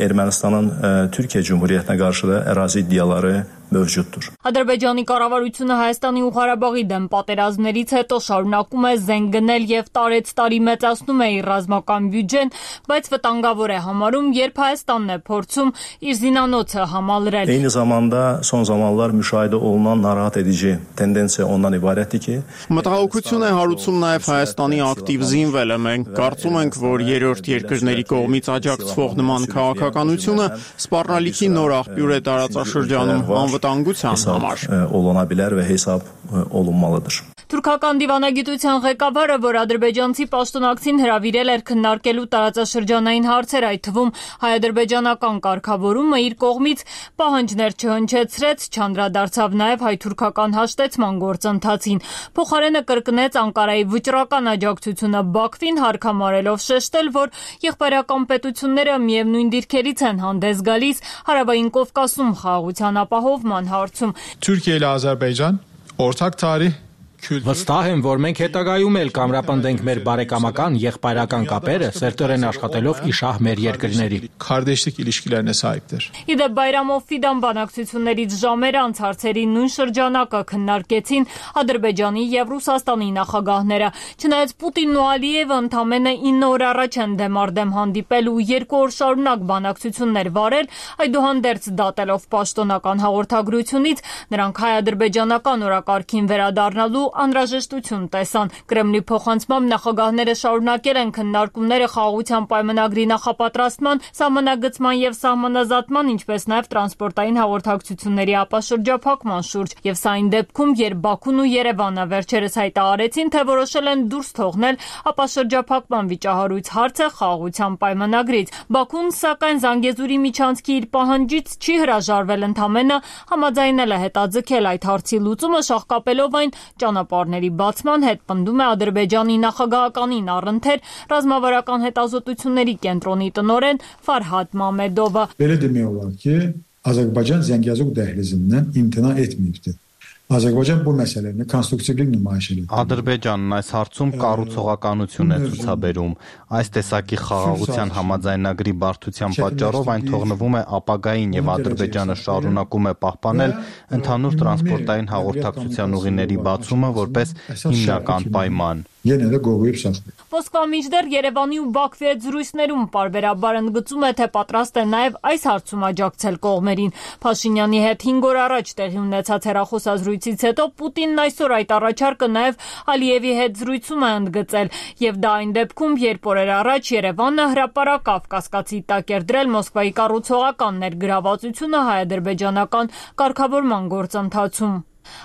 Ermənistanın Türkiyə Cümhuriyyətinə qarşı da ərazi iddiaları mövcuddur. Ադրբեջանի կառավարությունը Հայաստանի ու Ղարաբաղի դեմ պատերազմներից հետո շարունակում է զենք գնել եւ տարեց տարի մեծացնում է իր ռազմական բյուջեն, բայց վտանգավոր է համարում, երբ Հայաստանն է փորձում իր զինանոցը համալրել։ Eyni zamanda son zamanlar müşahidə olunan narahat edici tendensiya ondan ibarətdir ki, մտահոգություն է հարուցում նաեւ Հայաստանի ակտիվ զինվելը։ Մենք կարծում ենք, որ երրորդ երկրների կողմից աջակցվող նման քաղաքականությունը սպառնալիքի նոր աղբյուր է տարածաշրջանում անվտանգության համար olana bilər və hesab olunmalıdır. Թուրքական դիվանագիտության ղեկավարը, որ ադրբեջանցի պաշտոնակցին հրավիրել էր քննարկելու տարածաշրջանային հարցեր, այդ թվում հայ-ադրբեջանական կարգավորումը, իր կողմից պահանջներ չհնչեցրեց, չանդրադարձավ նաև հայ-թուրքական հաշտեցման գործընթացին։ Փոխարենը կրկնեց Անկարայի վճռական աջակցությունը Բաքվին, հարկամարելով շեշտել, որ եղբայրական պետությունները միևնույն դիրքերից են հանդես գալիս Հարավային Կովկասում խաղաղության ապահովման հարցում։ Türkiye ile Azerbaycan ortak tarih Վստահ եմ, որ մենք հետագայում էլ կամրապնդենք մեր բարեկամական, եղբայրական կապերը, սերտորեն աշխատելով իշահ մեր երկրների։ Kardeşlik ilişkilerine sahiptir. Իդեպ Բայրամով Ֆիդան բանակցություններից ժամեր անց հարցերի նույն շրջանակը քննարկեցին Ադրբեջանի եւ Ռուսաստանի նախագահները։ Չնայած Պուտինն ու Ալիևը ընդամենը ինը օր առաջ են դեմարդեմ հանդիպել ու երկու օր շարունակ բանակցություններ վարել, այդուհանդերձ դատելով պաշտոնական հաղորդագրությունից, նրանք հայ-ադրբեջանական օրակարգին վերադառնալու անհրաժեշտություն տեսան։ Կրեմլի փոխանցմամբ նախագահները շարունակել են քննարկումները խաղաղության պայմանագրի նախապատրաստման, սահմանագծման եւ սահմանազատման, ինչպես նաեւ տրանսպորտային հաղորդակցությունների ապաշրջափակման շուրջ, եւ սա այն դեպքում, երբ Բաքուն ու Երևանը վերջերս հայտարարեցին, թե որոշել են դուրս թողնել ապաշրջափակման վիճահարույց հարցը խաղաղության պայմանագրից։ Բաքուն, սակայն, Զանգեզուրի միջանցքի իր պահանջից չի հրաժարվել, ընդամենը համաձայնել է հետաձգել այդ հարցի լուծումը, շահկապելով այն ճանապարհների բացման հետ, պնդում է Ադրբեջանի նախագահականին առընթեր ռազմավարական հետազոտությունների կենտրոնի տնօրեն Ֆարհադ Մամեդովը։ Belə demək olar ki, Azərbaycan Zəngəzur dəhlizindən imtina etməyibdir. Azərbaycan bu məsələni konstruktivlik nümayiş edir. Ադրբեջանն այս հարցում կառուցողականություն է ցուցաբերում։ Այս տեսակի խաղաղության համաձայնագրի բարդության պատճառով այն թողնվում է ապագային եւ Ադրբեջանը շարունակում է պահպանել ընդհանուր տրանսպորտային հաղորդակցության ուղիների բացումը որպես հիմնական պայման։ Yenə də qoruyub saxlayır. Մոսկվա միջդեռ Երևանի ու Բաքվի հետ զրույցներում պարբերաբար ընդգծում է, թե պատրաստ է նաև այս հարցում աջակցել կողմերին։ Փաշինյանի հետ հինգ օր առաջ տեղի ունեցած հեռախոսազրույցից հետո Պուտինն այսօր այդ առաջարկը նաև Ալիևի հետ զրույցում է ընդգծել, եւ դա այն դեպքում, երբ օրեր առաջ Երևանը հրապարակավ կասկածի տակ էր դրել Մոսկվայի կառուցողական ներգրավվածությունը հայ-ադրբեջանական կարգավորման գործընթացում։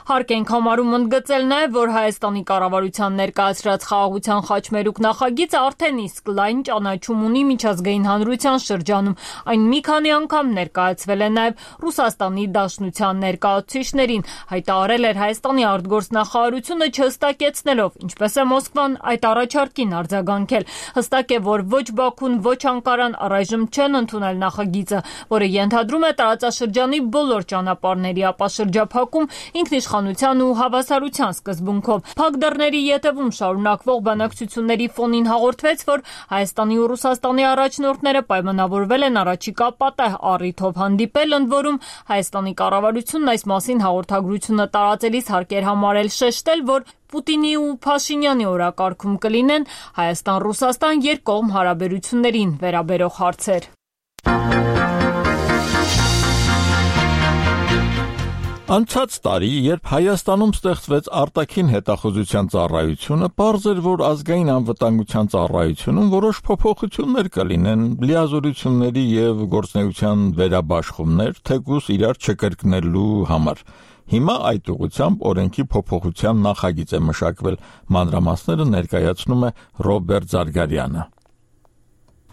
Հարկ ենք համարում ընդգծել նաև, որ Հայաստանի կառավարության ներկայացրած խաղաղության խաչմերուկ նախագիծը արդեն իսկ լայն ճանաչում ունի միջազգային հանրության շրջանում։ Այն մի քանի անգամ ներկայացվել է նաև Ռուսաստանի Դաշնության ներկայացուցիչներին, հայտարարել էր Հայաստանի արտգործնախարարությունը չհստակեցնելով, ինչպես է Մոսկվան այդ առաջարկին արձագանքել։ Հստակ է, որ ոչ Բաքուն, ոչ Անկարան առայժմ չեն ընդունել նախագիծը, որը ենթադրում է տարածաշրջանի բոլոր ճանապարհների ապաշրջափակում ինքնիշխանության ու հավասարության սկզբունքով։ Փակ դռների ետևում շարունակվող բանակցությունների ֆոնին հաղորդվեց, որ Հայաստանի ու Ռուսաստանի առաջնորդները պայմանավորվել են առաջիկա պատեհ առիթով հանդիպել, ընդ որում Հայաստանի կառավարությունն այս մասին հաղորդագրությունը տարածելիս հարկ էր համարել շեշտել, որ Պուտինի ու Փաշինյանի օրակարգում կլինեն Հայաստան-Ռուսաստան երկկողմ հարաբերություններին վերաբերող հարցեր։ Անցած տարի, երբ Հայաստանում ստեղծվեց արտաքին հետախուզության ծառայությունը, պարզ էր, որ ազգային անվտանգության ծառայությունում որոշ փոփոխություններ կլինեն, լիազորությունների եւ գործնեության վերաբաշխումներ, թեկուզ իրար չկրկնելու համար։ Հիմա այդ ուղղությամբ օրենքի փոփոխության նախագիծ է մշակվել, մանրամասները ներկայացնում է Ռոբերտ Զարգարյանը։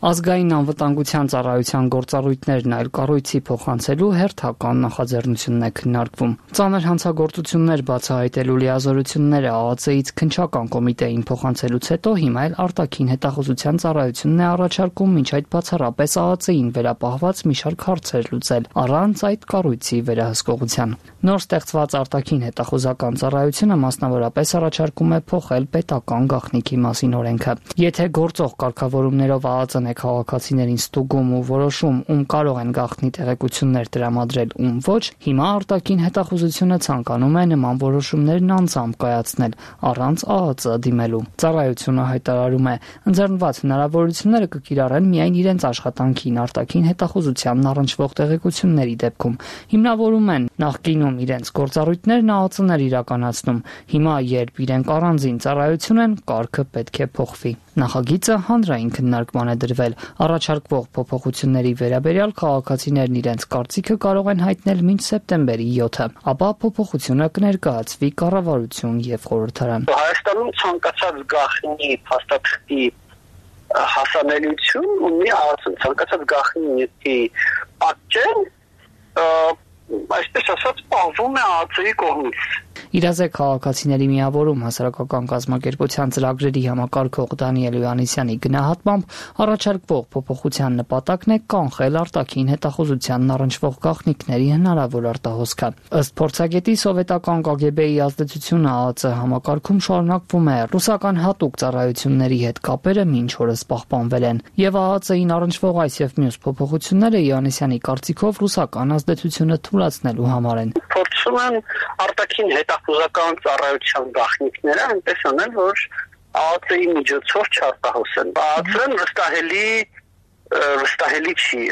Ազգային անվտանգության ծառայության գործառույթներն այլ կառույցի փոխանցելու հերթական նախաձեռնությունն է քննարկվում։ Ծանր հանցագործություններ բացահայտելու լիազորությունները ԱԱԾ-ից քննչական կոմիտեին փոխանցելուց հետո հիմա էլ արտաքին հետախուզության ծառայությունն է առաջարկում մինչ այդ բացառապես ԱԱԾ-ին վերապահված մի շարք հարցեր լուծել առանց այդ կառույցի վերահսկողության։ Նոր ստեղծված արտաքին հետախուզական ծառայությունը մասնավորապես առաջարկում է փոխել պետական գաղտնիքի մասին օրենքը։ Եթե գործող կարգավորումներով ԱԱԾ-ն է քաղաքացիներին ստուգում ու որոշում ում կարող են գաղտնի տեղեկություններ տրամադրել, ում ոչ, հիմա արտաքին հետախուզությունը ցանկանում է նման որոշումներն անձամբ կայացնել առանց ԱԱԾ դիմելու։ Ծառայությունը հայտարարում է, ընձեռնված հնարավորությունները կկիրառեն միայն իրենց աշխատանքին արտաքին հետախուզությանն առնչվող տեղեկությունների դեպքում։ Հիմնավորում են նախկինում իրենց գործառույթներն ԱԱԾ-ն էր իրականացնում։ Հիմա, երբ իրենք առանձին ծառայություն են, կարգը պետք է փոխվի։ Նախագիծը հանրային քննարկման է դրվել։ Առաջարկվող փոփոխությունների վերաբերյալ քաղաքացիներն իրենց կարծիքը կարող են հայտնել մինչ սեպտեմբերի յոթը, ապա փոփոխությունը կներկայացվի կառավարություն եւ խորհրդարան։ Հայաստանում ցանկացած գաղտնի փաստաթղթի հասանելիություն ունի ԱԱԾ-ն, ցանկացած գաղտնի նյութի պատճեն, այսպես ասած, պահվում է ԱԱԾ-ի կողմից։ Իրազեկ քաղաքացիների միավորում հասարակական կազմակերպության ծրագրերի համակարգող Դանիել Հովհաննիսյանի գնահատմամբ առաջարկվող փոփոխության նպատակն է կանխել արտաքին հետախուզությանն առնչվող գաղտնիքների հնարավոր արտահոսքը։ Ըստ փորձագետի սովետական Կ Գ Բ-ի ազդեցությունը Ա Ծ համակարգում շարունակվում է։ Ռուսական հատուկ ծառայությունների հետ կապերը մինչ օրս պահպանվել են, եւ Ա Ծ-ին առնչվող այս եւ մյուս փոփոխությունները Հովհաննիսյանի կարծիքով ռուսական ազդեցությունը թուլացնելու համար են։ Փորձում են արտաքին հետախուզական ծառայության գաղտնիքները այնպես անել, որ Ա Ծ-ի միջոցով չարտահոսեն։ Ա Ծ-ն վստահելի վստահելի չի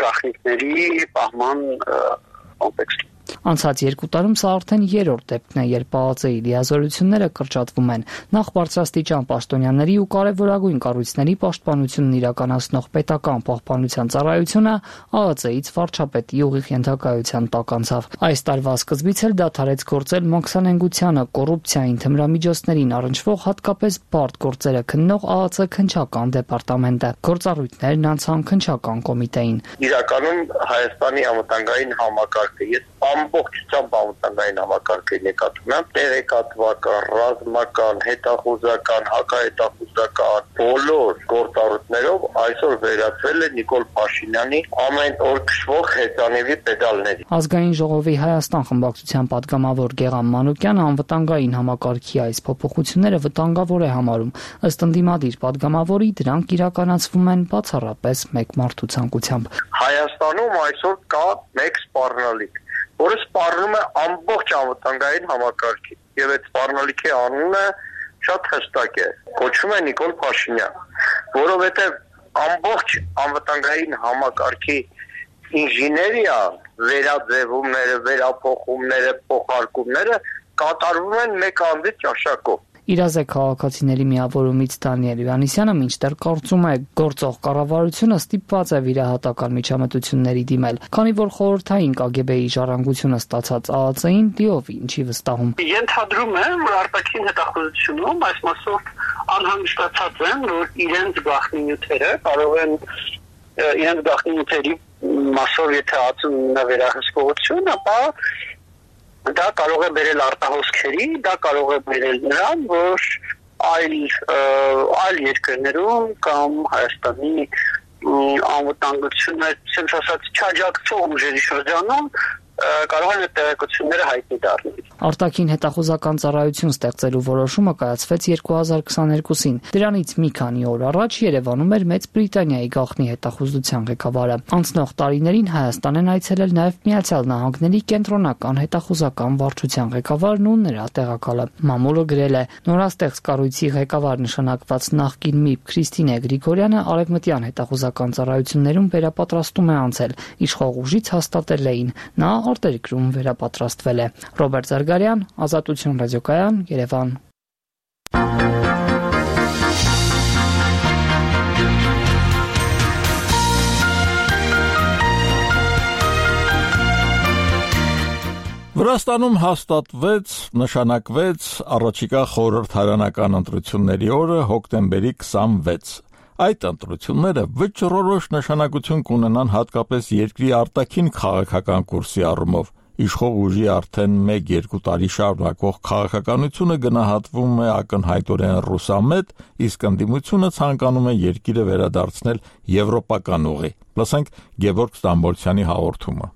գաղտնիքների պահման կոնտեքստում։ Անցած երկու տարում սա արդեն երրորդ դեպքն է, երբ Ա Ծ-ի լիազորությունները կրճատվում են։ Նախ բարձրաստիճան պաշտոնյաների ու կարևորագույն կառույցների պաշտպանությունն իրականացնող պետական պահպանության ծառայությունը Ա Ծ-ից վարչապետի ուղիղ ենթակայության տակ անցավ։ Այս տարվա սկզբից էլ դադարեց գործել մաքսանենգությանը, կոռուպցիային, թմրամիջոցներին առնչվող հատկապես բարդ գործերը քննող Ա Ծ քննչական դեպարտամենտը։ Գործառույթներն անցան քննչական կոմիտեին։ Իրականում Հայաստանի անվտանգային համակարգը ես ամբողջությամբ անվտանգային համակարգի նկատում եմ տեղեկատվական, ռազմական, հետախուզական, հակահետախուզական բոլոր գործառույթներով այսօր վերածվել է Նիկոլ Փաշինյանի ամեն օր քշվող հեծանիվի պեդալների։ Ազգային ժողովի Հայաստան խմբակցության падգամավոր Գեղամ Մանուկյանը անվտանգային համակարգի այս փոփոխությունները վտանգավոր է համարում։ Ըստ ընդդիմադիր падգամավորի դրանք իրականացվում են բացառապես մեկ մարդու ցանկությամբ։ Հայաստանում այսօր կա մեկ սպառնալիք, որը սպառնում է ամբողջ անվտանգային համակարգին, եւ այդ սպառնալիքի անունը շատ հստակ է, կոչվում է Նիկոլ Փաշինյան, որովհետեւ ամբողջ անվտանգային համակարգի ինժեներիա վերաձևումները, վերափոխումները, փոխարկումները կատարվում են մեկ անձի ճաշակով։ Իրազեկ քաղաքացիների միավորումից Դանիել Հովհաննիսյանը մինչդեռ կարծում է, գործող կառավարությունը ստիպված է վիրահատական միջամտությունների դիմել, քանի որ խորհրդային Կ Գ Բ-ի ժառանգությունը ստացած Ա Ծ-ին լիովին չի վստահում։ Ենթադրում եմ, որ արտաքին հետախուզությունում այս մասով անհանգստացած են, որ իրենց գաղտնի նյութերը կարող են իրենց գաղտնի նյութերի մասով եթե Ա Ծ-ն վերահսկողություն, ապա դա կարող է բերել արտահոսքերի, դա կարող է բերել նրան, որ այլ այլ երկրներում կամ Հայաստանի անվտանգությունը, ասենք ասած, չաջակցող ուժերի շրջանում կարող են այդ տեղեկությունները հայտնի դառնալ։ Արտաքին հետախուզական ծառայություն ստեղծելու որոշումը կայացվեց երկու հազար քսաներկուսին։ Դրանից մի քանի օր առաջ Երևանում էր Մեծ Բրիտանիայի գաղտնի հետախուզության ղեկավարը։ Անցնող տարիներին Հայաստան են այցելել նաև Միացյալ Նահանգների կենտրոնական հետախուզական վարչության ղեկավարն ու նրա տեղակալը։ Մամուլը գրել է. նորաստեղծ կառույցի ղեկավար նշանակված նախկին ՄԻՊ Քրիստինե Գրիգորյանը արևմտյան հետախուզական ծառայություններում վերապատրաստում է անցել։ Իշխող ուժից հաստատել էին։ Նա արտերկրում վերապատրաստվել է։ Ռոբերտ Զարգարյան, Ազատություն ռադիոկայան, Երևան։ Վրաստանում հաստատվեց, նշանակվեց առաջիկա խորհրդարանական ընտրությունների օրը հոկտեմբերի քսանվեց։ Այդ ընտրությունները վճռորոշ նշանակություն կունենան հատկապես երկրի արտաքին քաղաքական կուրսի առումով։ Իշխող ուժի արդեն մեկ-երկու տարի շարունակվող քաղաքականությունը գնահատվում է ակնհայտորեն ռուսամետ, իսկ ընդդիմությունը ցանկանում է երկիրը վերադարձնել եվրոպական ուղի։ Լսենք Գևորգ Ստամբոլցյանի հաղորդումը։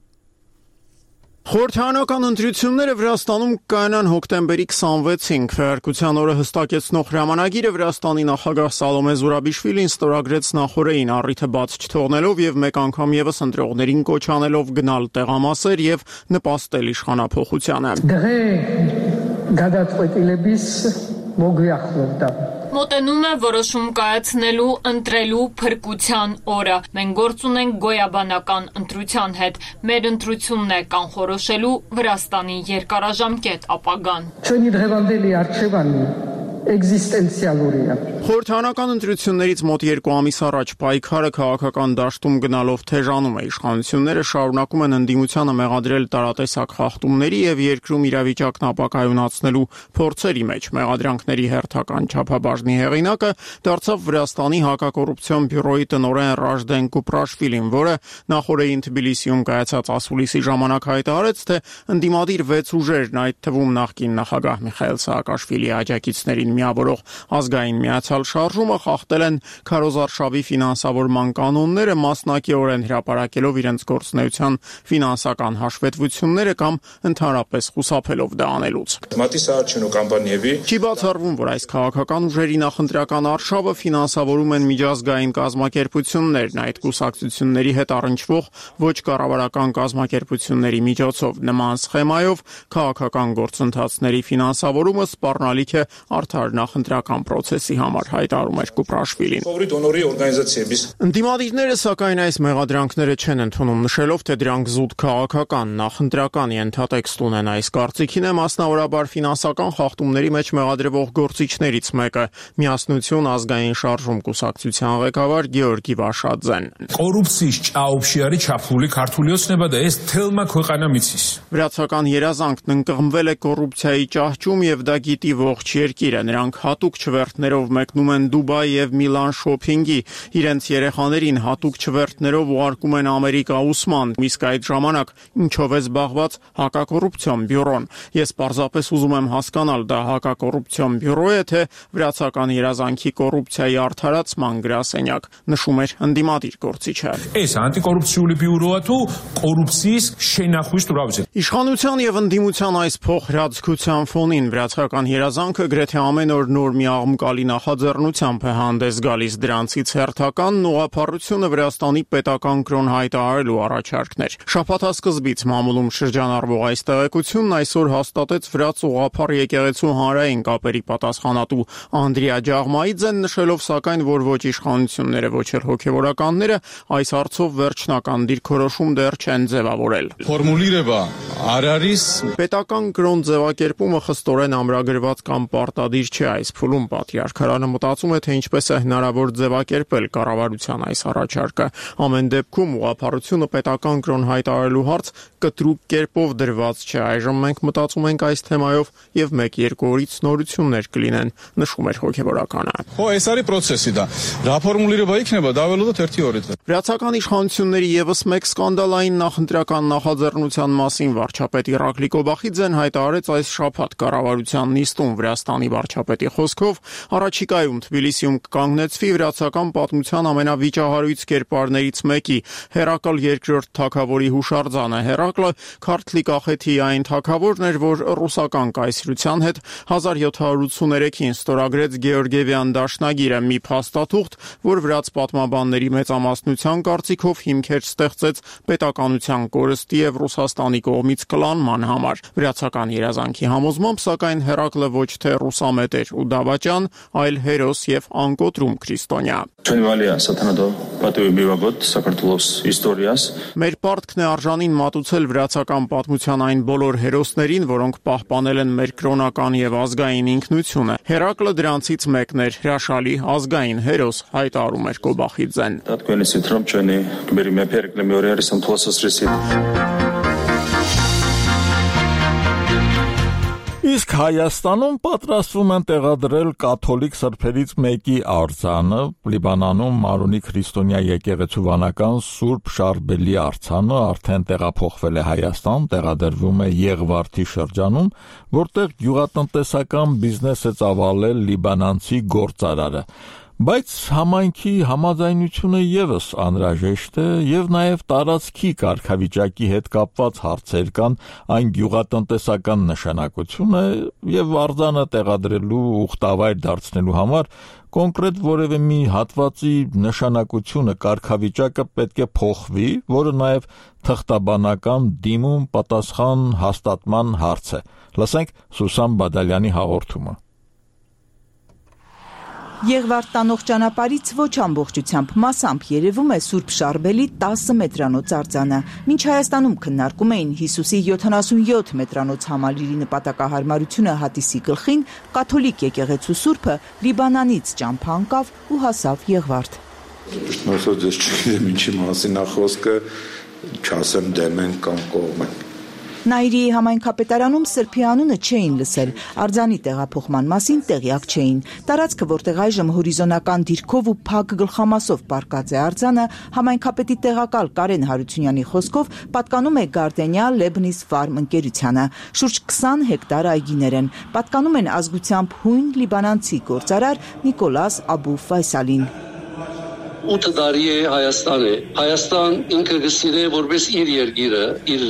Խորհրդարանական ընտրությունները Վրաստանում կայանան հոկտեմբերի քսանվեցին։ Քվեարկության օրը հստակեցնող հրամանագիրը Վրաստանի նախագահ Սալոմե Զուրաբիշվիլին ստորագրեց նախօրեին, առիթը բաց չթողնելով եւ մեկ անգամ եւս ընտրողներին կոչ անելով գնալ տեղամասեր եւ նպաստել իշխանափոխությանը։ Մոտենում է որոշում կայացնելու, ընտրելու փրկության օրը։ Մենք գործ ունենք գոյաբանական ընտրության հետ։ Մեր ընտրությունն է կանխորոշելու Վրաստանի երկարաժամկետ ապագան։ Չնի դրևանդելի արչևանի էգզիստենցիալ օրինակ։ Խորհրդարանական ընտրություններից մոտ երկու ամիս առաջ պայքարը քաղաքական դաշտում գնալով թեժանում է։ Իշխանությունները շարունակում են ընդդիմությանը մեղադրել տարատեսակ խախտումների եւ երկրում իրավիճակն ապակայունացնելու փորձերի մեջ։ Մեղադրանքների հերթական չափաբաժնի հեղինակը դարձավ Վրաստանի հակակոռուպցիոն բյուրոյի տնօրեն Ռաժդեն Կուպրաշվիլին, որը նախորդին Թբիլիսիում կայացած ասուլիսի ժամանակ հայտարարեց, թե ընդդիմադիր վեց ուժերն, այդ թվում նախկին նախագահ Միխայել Սաակաշվիլիի աջակիցներին միավորող ազգային միացյալ շարժումը խախտել են քարոզարշավի ֆինանսավորման կանոնները, մասնակիորեն հրապարակելով իրենց գործունեության ֆինանսական հաշվետվությունները կամ ընդհանրապես խուսափելով դա անելուց։ Չի բացառվում, որ այս քաղաքական ուժերի նախընտրական արշավը ֆինանսավորում են միջազգային կազմակերպություններն, այդ կուսակցությունների հետ առնչվող ոչ կառավարական կազմակերպությունների միջոցով։ Նման սխեմայով քաղաքական գործընթացների ֆինանսավորումը սպառնալիք է արդար նախընտրական պրոցեսի համար, հայտարարում էր Կուպրաշվիլին։ Ընդդիմադիրները սակայն այս մեղադրանքները չեն ընդունում, նշելով, թե դրանք զուտ քաղաքական, նախընտրական ենթատեքստ ունեն։ Այս կարծիքին է մասնավորաբար ֆինանսական խախտումների մեջ մեղադրվող գործիչներից մեկը՝ Միասնություն ազգային շարժում կուսակցության ղեկավար Գեորգի Վաշաձեն։ Վրացական երազանքն ընկղմվել է կոռուպցիայի ճահճում եւ դա գիտի ողջ երկիրը։ Նրանք հատուկ չվերթներով մեկնում են Դուբայ եւ Միլան շոփինգի, իրենց երեխաներին հատուկ չվերթներով ուղարկում են Ամերիկա ուսման, իսկ այդ ժամանակ ինչով է զբաղված հակակոռուպցիոն բյուրոն։ Ես պարզապես ուզում եմ հասկանալ, դա հակակոռուպցիոն բյուրո է, թե վրացական երազանքի կոռուպցիայի արդարացման գրասենյակ, նշում էր ընդդիմադիր գործիչը։ Այս անտիկոռուպցիոն բյուրոը თუ կոռուպցიის շենախույս դուրավիճ։ Իշխանության եւ ընդդիմության այս փոխհրաձգության ֆոնին վրացական երազանքը գրեթե ամեն օր նոր մի աղմկալի նախաձեռնությամբ է հանդես գալիս։ Դրանցից հերթականն ուղղափառությունը Վրաստանի պետական կրոն հայտարարելու առաջարկն էր։ Շաբաթասկզբից մամուլում շրջանառվող այս տեղեկությունն այսօր հաստատեց վրաց ուղղափառ եկեղեցու հանրային կապերի պատասխանատու Անդրիա Ջաղմայիձեն, նշելով սակայն, որ ոչ իշխանությունները, ոչ էլ հոգևորականները այս հարցով վերջնական դիրքորոշում դեռ չեն ձևավորել։ Պետական կրոն ձևակերպումը խստորեն ամրագրված կամ պարտադիր չէ այս փուլում։ Պատրիարքարանը մտածում է, թե ինչպես է հնարավոր ձևակերպել կառավարության այս առաջարկը։ Ամեն դեպքում ուղղափառությունը պետական կրոն հայտարարելու հարց կտրուկ կերպով դրված չէ։ Այժմ մենք մտածում ենք այս թեմայով եւ մեկ-երկու օրից նորություններ կլինեն, նշում էր հոգևորականը։ Վրացական իշխանությունների եւս մեկ սկանդալային նախընտրական նախաձեռնության մասին վարչապետ Իռակլի Կոբախիձեն հայտարարեց այս շաբաթ կառավարության նիստում։ Վրաստանի վարչապետի խոսքով առաջիկայում Թբիլիսիում կկանգնեցվի վրացական պատմության ամենավիճահարույց կերպարներից մեկի՝ Հերակլ երկրորդ թագավորի հուշարձանը։ Հերակլը Քարթլի կախեթի այն թագավորն էր, որ ռուսական կայսրության հետ հազար յոթ հարյուր ութսուներեքին ստորագրեց Գեորգիևյան դաշնագիրը, մի փաստաթուղթ, որ վրաց պատմաբանների մեծամասնության կարծիքով հիմքեր ստեղծեց պետականության կորստի եւ Ռուսաստանի կողմից կլանման համար։ Վրացական երազանքի համոզմամբ, սակայն Հերակլը ոչ թե ռուսամետ էր ու դավաճան, այլ հերոս եւ անկոտրում քրիստոնյա։ Մեր պարտքն է արժանին մատուցել վրացական պատմության այն բոլոր հերոսներին, որոնք պահպանել են մեր կրոնական եւ ազգային ինքնությունը։ Հերակլը դրանցից մեկն էր, հրաշալի ազգային հերոս, հայտարարում էր Կոբախիձեն։ Իսկ Հայաստանում պատրաստվում են տեղադրել կաթոլիկ սրբերից մեկի արձանը, Լիբանանում Մարոնի քրիստոնյա եկեղեցու վանական Սուրբ Շարբելի արձանը արդեն տեղափոխվել է Հայաստան, տեղադրվում է Եղվարդի շրջանում, որտեղ գյուղատնտեսական բիզնես է ծավալել լիբանանցի գործարարը։ Բայց համայնքի համաձայնությունը եւս անհրաժեշտ է եւ նաեւ տարածքի կարգավիճակի հետ կապված հարցեր կան, այն գյուղատնտեսական նշանակություն է եւ արձանը տեղադրելու ուխտավայր դարձնելու համար կոնկրետ որևէ մի հատվածի նշանակությունը, կարգավիճակը պետք է փոխվի, որը նաեւ թղթաբանական դիմում պատասխան հաստատման հարց է։ Լսենք Սուսան Բադալյանի հաղորդումը։ Եղվարդ տանող ճանապարհից ոչ ամբողջությամբ մասամբ երևում է Սուրբ Շարբելի տասը մետրանոց արձանը։ Մինչ Հայաստանում քննարկում էին Հիսուսի յոթանասունյոթ մետրանոց համալիրի նպատակահարմարությունը հատիսի գլխին, կաթոլիկ եկեղեցու Սուրբը Լիբանանից ճամփա ընկավ ու հասավ Եղվարդ։ Շնորհով ձեզ չգիտեմ ինչի մասին է խոսքը, չասեմ դեմ են կամ կողմ են։ Նաիրիի համայնքապետարանում Սրբի անունը չէին լսել, արձանի տեղափոխման մասին տեղյակ չէին։ Տարածքը, որտեղ այժմ հորիզոնական դիրքով ու փակ գլխամասով պառկած է արձանը, համայնքապետի տեղակալ Կարեն Հարությունյանի խոսքով պատկանում է Գարդենիա Լեբնիս Ֆարմ ընկերությանը։ Շուրջ քսան հեկտար այգիներ են, պատկանում են ազգությամբ հույն լիբանանցի գործարար Նիկոլաս Աբու Ֆայսալին։ ութ տարի է Հայաստան է։ Հայաստան ինքը գսիրե որպես իր երկիրը, իր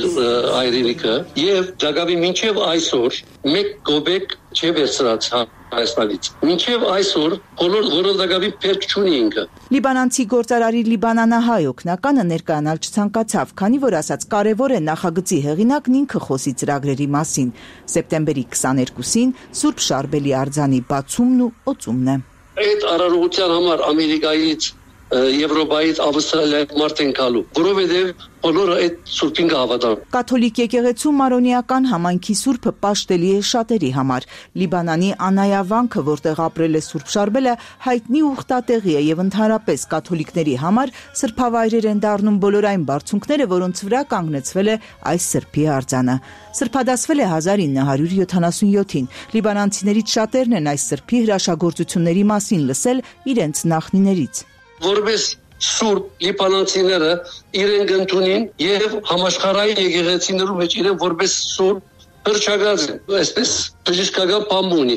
հայրենիքը եւ Ժագավի մինչեւ այսօր մեկ գոբեկ չէ վերցրած Հայաստանից։ Մինչեւ այսօր բոլոր որոնդակավի պետք չունի ինքը։ Լիբանանցի գործարարի լիբանանահայ օգնականը ներկայանալ չցանկացավ, քանի որ ասաց կարևոր է նախագծի հեղինակն ինքը խոսի ծրագրերի մասին։ Սեպտեմբերի քսաներկուսին Սուրբ Շարբելի արձանի բացումն ու օծումն է։ Այդ արարողության համար Ամերիկայից Եվրոպայից Ավստրալիայից մարդ են գալու, որովհետև բոլորը այդ սուրբին կհավատան։ Կաթոլիկ եկեղեցու մարոնիական համայնքի սուրբը պաշտելի է շատերի համար։ Լիբանանի անայավանքը, որտեղ ապրել է Սուրբ Շարբելը, հայտնի ուխտատեղի է եւ ընդհանրապես կաթոլիկների համար սրբավայրեր են դառնում բոլոր այն բարձունքները, որոնց վրա կանգնեցվել է այս սրբի արձանը։ Սրբադասվել է հազար ինը հարյուր յոթանասունյոթին։ Լիբանանցիներից շատերն են այս սրբի հրաշագործությունների մասին լսել իրենց նախնիներից։ Որպես սուրբ լիբանանցիները իրեն գտնունին եւ համաշխարհային եկեղեցիներու մեջ իրեն որպես սուրբ հրճագած են, այսպես բժշկական բան ունի,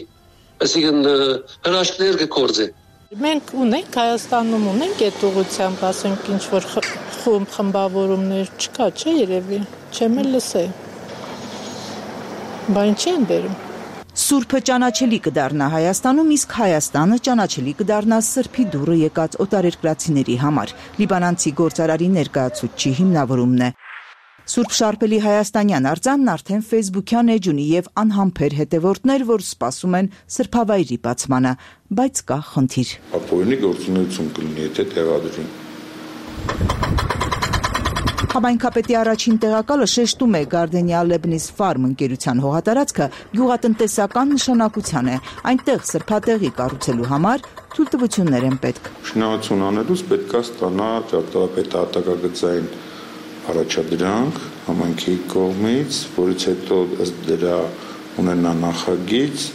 այսինքն հրաշքներ կգործե։ Մենք ունենք Հայաստանում ունենք այդ ուղղությամբ, ասենք ինչ որ խումբ խմբավորումներ չկա, չէ՞ երևի, չեմ էլ լսել։ Բան չեն բերում։ Սուրբը ճանաչելի կդառնա Հայաստանում, իսկ Հայաստանը ճանաչելի կդառնա Սրբի դուռը եկած օտարերկրացիների համար։ Լիբանանցի գործարարի ներկայացուցչի հիմնավորումն է։ Սուրբ Շարբելի հայաստանյան արձանն արդեն Facebook-յան էջ ունի եւ անհամբեր հետևորդներ, որ սպասում են սրբավայրի բացմանը, բայց կա խնդիր։ Ապօրինի գործունեություն կլինի, եթե տեղադրվի։ Համայնքապետի առաջին տեղակալը շեշտում է Գարդենիա Լեբնիս Ֆարմ ընկերության հողատարածքը գյուղատնտեսական նշանակության է։ Այնտեղ սրբատեղի կառուցելու համար թույլտվություններ են պետք։ Շինարարություն անելուց պետք է ստանա ճարտարապետահատակագծային առաջադրանք համայնքի կողմից, որից հետո ըստ դրա ունենա նախագիծ,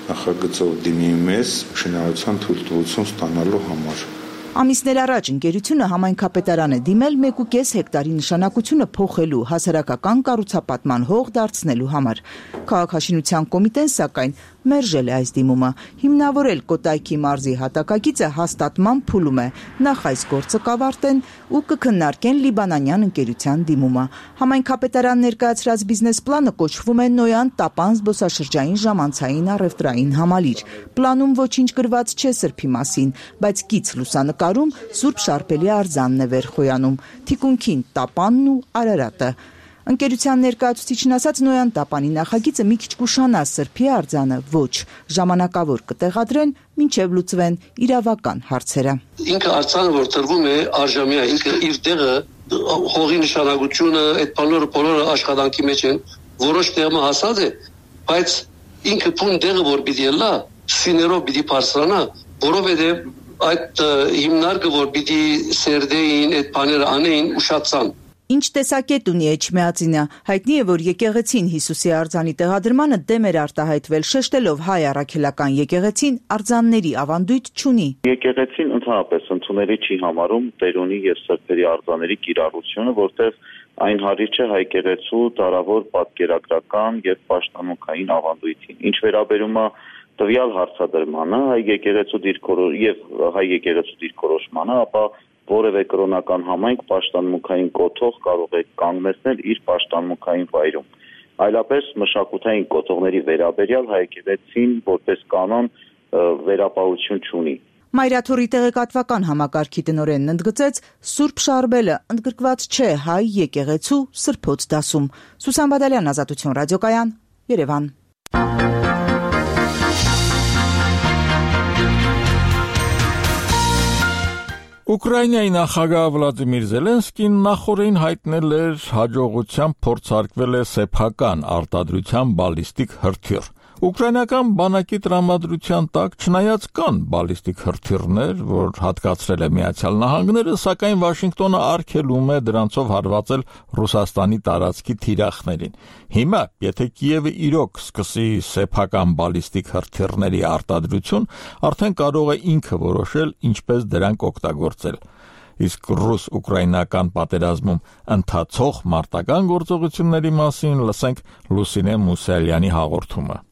նախագծով դիմի մեզ շինարարության թույլտվություն ստանալու համար։ Ամիսներ առաջ ընկերությունը համայնքապետարան է դիմել մեկ ու կես հեկտարի նշանակությունը փոխելու, հասարակական կառուցապատման հող դարձնելու համար։ Քաղաքաշինության կոմիտեն սակայն մերժել է այս դիմումը, հիմնավորել Կոտայքի մարզի հատակագիծը հաստատման փուլում է, նախ այս գործը կավարտեն ու կքննարկեն լիբանանյան ընկերության դիմումը։ Համայնքապետարան ներկայացրած բիզնես պլանը կոչվում է Նոյան Տապան զբոսաշրջային ժամանցային առևտրային համալիր։ Պլանում ոչինչ գրված չէ սրբի մասին, բայց կից լուսանկարում Սուրբ Շարբելի արձանն է վերխոյանում, թիկունքին Տապանն ու Արարատը։ Ընկերության ներկայացուցիչն ասաց Նոյան Տապանի նախագիծը մի քիչ կուշանա սրբի արձանը, ոչ, ժամանակավոր կտեղադրեն, մինչև լուծվեն իրավական հարցերը։ Ինքը արձանը, որ տրվում է արժամյա, ինքը իր տեղը, հողի նշանակությունը, այդ բոլորը բոլորը աշխատանքի մեջ են, որոշ տեղը հասած է, բայց ինքը փուն տեղը որ պիտի լա, սիներով պիտի բարձրանա, որովհետև այդ հիմնարկը որ պիտի սերդեին, այդ բաները անեին ուշացան։ Ինչ տեսակետ ունի Էջմիածինը, հայտնի է, որ եկեղեցին Հիսուսի արձանի տեղադրմանը դեմ էր արտահայտվել, շեշտելով հայ առաքելական եկեղեցին արձանների ավանդույթ չունի։ Եկեղեցին ընդհանրապես ընդունելի չի համարում Տերունի եւ սրբերի արձանների կիրառությունը, որտեղ այն հարիր չէ հայ եկեղեցու դարավոր պատկերագրական եւ պաշտամունքային ավանդույթին։ Ինչ վերաբերում է տվյալ հարցադրմանը, հայ եկեղեցու դիրքորոշ եւ հայ եկեղեցու դիրքորոշմանը, ապա որևէ կրոնական համայնք պաշտամունքային կոթող կարող է կանգնեցնել իր պաշտամունքային վայրում։ Այլապես մշակութային կոթողների վերաբերյալ հայ եկեղեցին որպես կանոն վերապահություն չունի։ Մայրաթորի տեղեկատվական համակարգի տնօրենն ընդգծեց, Սուրբ Շարբելը ընդգրկված չէ հայ եկեղեցու սրբոց դասում։ Սուսան Բադալյան, Ազատություն ռադիոկայան, Երևան։ Ուկրաինայի նախագահ Վլադիմիր Զելենսկին նախորդին հայտնել էր հաջողությամբ փորձարկվել է սեփական արտադրության բալիստիկ հրթիռ։ Ուկրաինական բանակի տրամադրության տակ չնայած կան բալիստիկ հրթիռներ, որ հատկացրել է Միացյալ Նահանգները, սակայն Վաշինգտոնը արգելում է դրանցով հարվածել Ռուսաստանի տարածքի թիրախներին։ Հիմա, եթե Կիևը իրոք սկսի սեփական բալիստիկ հրթիռների արտադրություն, արդեն կարող է ինքը որոշել ինչպես դրանք օգտագործել։ Իսկ ռուս-ուկրաինական պատերազմում ընթացող մարտական գործողությունների մասին լսենք Լուսինե Մուսալյանի հաղորդումը։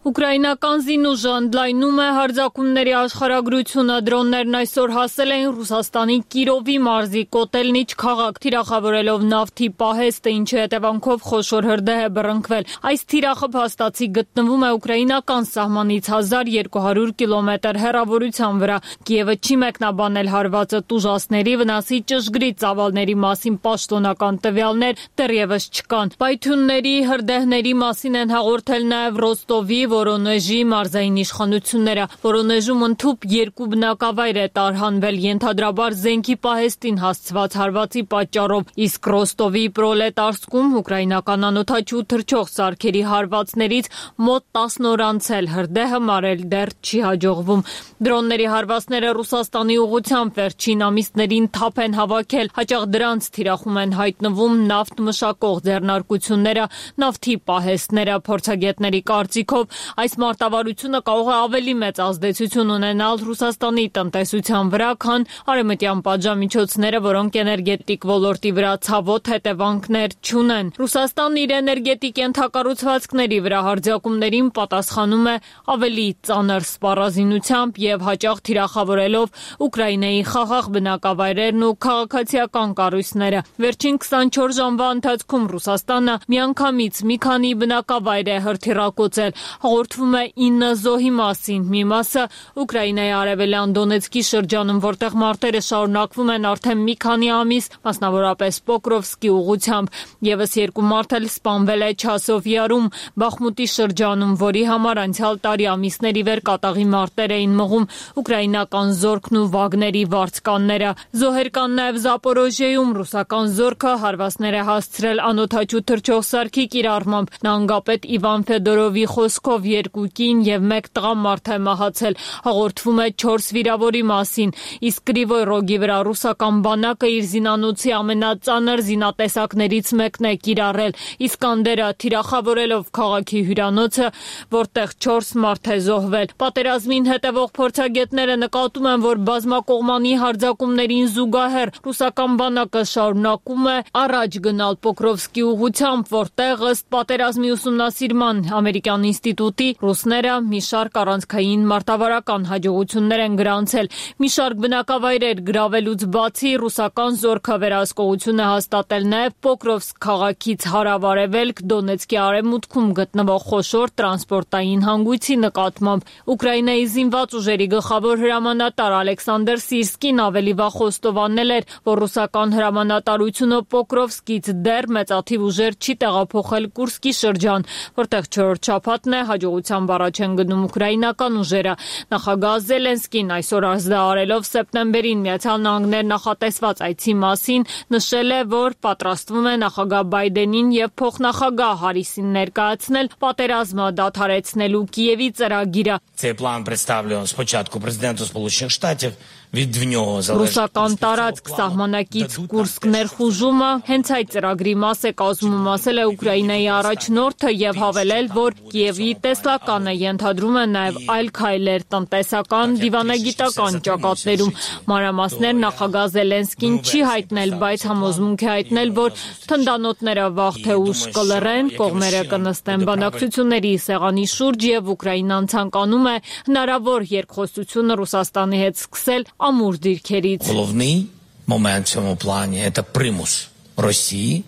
Ուկրաինական զինուժը ընդլայնում է հարձակումների աշխարհագրությունը։ Դրոններն այսօր հասել էին Ռուսաստանի Կիրովի մարզի Կոտելնիչ քաղաք, թիրախավորելով նավթի պահեստը, ինչի հետևանքով խոշոր հրդեհ է բռնկվել։ Այս թիրախը փաստացի գտնվում է ուկրաինական սահմանից հազար երկու հարյուր կիլոմետր հեռավորության վրա։ Կիևը չի մեկնաբանել հարվածը տուժածների, վնասի ճշգրիտ ծավալների մասին պաշտոնական տվյալներ դեռևս չկան։ Պայթյունների, հրդեհների մասին են հաղորդել նաև Ռոստովի, Որոնեժի մարզային իշխանությունները։ Որոնեժում ընդհուպ երկու բնակավայր է տարհանվել, ենթադրաբար զենքի պահեստին հասցված հարվածի պատճառով, իսկ Ռոստովի Պրոլետարսկում ուկրաինական անօդաչու թռչող սարքերի հարվածներից մոտ տասն օր անցել, հրդեհը մարել դեռ չի հաջողվում։ Դրոնների հարվածները Ռուսաստանի ուղղությամբ վերջին ամիսներին թափ են հավաքել, հաճախ դրանց թիրախում են հայտնվում նավթ մշակող ձեռնարկությունները, նավթի պահեստները։ Փորձագետների կարծիքով այս մարտավարությունը կարող է ավելի մեծ ազդեցություն ունենալ Ռուսաստանի տնտեսության վրա, քան արևմտյան պատժամիջոցները, որոնք էներգետիկ ոլորտի վրա ցավոտ հետևանքներ չունեն։ Ռուսաստանն իր էներգետիկ ենթակառուցվածքների վրա հարձակումներին պատասխանում է ավելի ծանր սպառազինությամբ եւ հաճախ թիրախավորելով Ուկրաինայի խաղաղ բնակավայրերն ու քաղաքացիական կառույցները։ Վերջին քսանչորս ժամվա ընթացքում Ռուսաստանը միանգամից մի քանի բնակավայր է հրթիռակոծել։ Հաղորդվում է ինը զոհի մասին, մի մասը Ուկրաինայի արևելյան Դոնեցկի շրջանում, որտեղ մարտերը շարունակվում են արդեն մի քանի ամիս, մասնավորապես Պոկրովսկի ուղղությամբ, եւս երկու մարդ էլ սպանվել է Չասովյարում, Բախմուտի շրջանում, որի համար անցյալ տարի ամիսների վեր կատաղի մարտեր էին մղում ուկրաինական զորքն ու Վագների վարձկանները։ Զոհեր կան նաեւ Զապորոժիեում, ռուսական զորքը հարվածներ է հասցրել անօդաչու թռչող սարքի կիրառմամբ։ Նահանգապետ Իվան Ֆեդորովի խոսքով երկու կին եւ մեկ տղամարդ է մահացել։ Հաղորդվում է չորս վիրավորի մասին, իսկ Կրիվոյ Ռոգի վրա ռուսական բանակը իր զինանոցի ամենածանր զինատեսակներից մեկն է կիրառել, Իսկանդերը, թիրախավորելով քաղաքի հյուրանոցը, որտեղ չորս մարդ է զոհվել։ Պատերազմին հետևող փորձագետները նկատում են, որ բազմակողմանի հարձակումներին զուգահեռ ռուսական բանակը շարունակում է առաջ գնալ Պոկրովսկի ուղղությամբ, որտեղ ըստ պատերազմի ուսումնասիրման ամերիկյան ինստիտուտի ռուսները մի շարք առանցքային մարտավարական հաջողություններ են գրանցել։ Մի շարք բնակավայրեր գրավելուց բացի ռուսական զորքը վերահսկողություն է հաստատել նաև Պոկրովսկ քաղաքից հարավ-արևելք Դոնեցկի արևմուտքում գտնվող խոշոր տրանսպորտային հանգույցի նկատմամբ։ Ուկրաինայի զինված ուժերի գլխավոր հրամանատար Ալեքսանդր Սիրսկին ավելի վաղ խոստովանել էր, որ ռուսական հրամանատարությունը Պոկրովսկից դեռ մեծաթիվ ուժեր չի տեղափոխել Կուրսկի շրջան, որտեղ չորրորդ շաբաթն է հաջողությամբ առաջ են գնում ուկրաինական ուժերը։ Նախագահ Զելենսկին այսօր ազդարարելով սեպտեմբերին Միացյալ Նահանգներ նախատեսված այցի մասին նշել է, որ պատրաստվում է նախագահ Բայդենին եւ փոխնախագահ Հարիսին ներկայացնել պատերազմը դադարեցնելու Կիևի ծրագիրը։ Цей план представлен спочатку президенту Сполучених Штатів. Ռուսական տարածք սահմանակից Կուրսկ ներխուժումը հենց այդ ծրագրի մաս է կազմում, ասել է Ուկրաինայի առաջնորդը եւ հավելել, որ Կիևի տեսլականը ենթադրում է նաեւ այլ քայլեր տնտեսական, դիվանագիտական ճակատներում։ Մանրամասներ նախագահ Զելենսկին չի հայտնել, բայց համոզմունք է հայտնել, որ թնդանոթները վաղ թե ուշ կլռեն, կողմերը կնստեն բանակցությունների սեղանի շուրջ եւ Ուկրաինան ցանկանում է հնարավոր երկխոսությունը Ռուսաստանի հետ սկսել ամուր դիրքերից։ Головний момент в цьому плані – це примус Росії.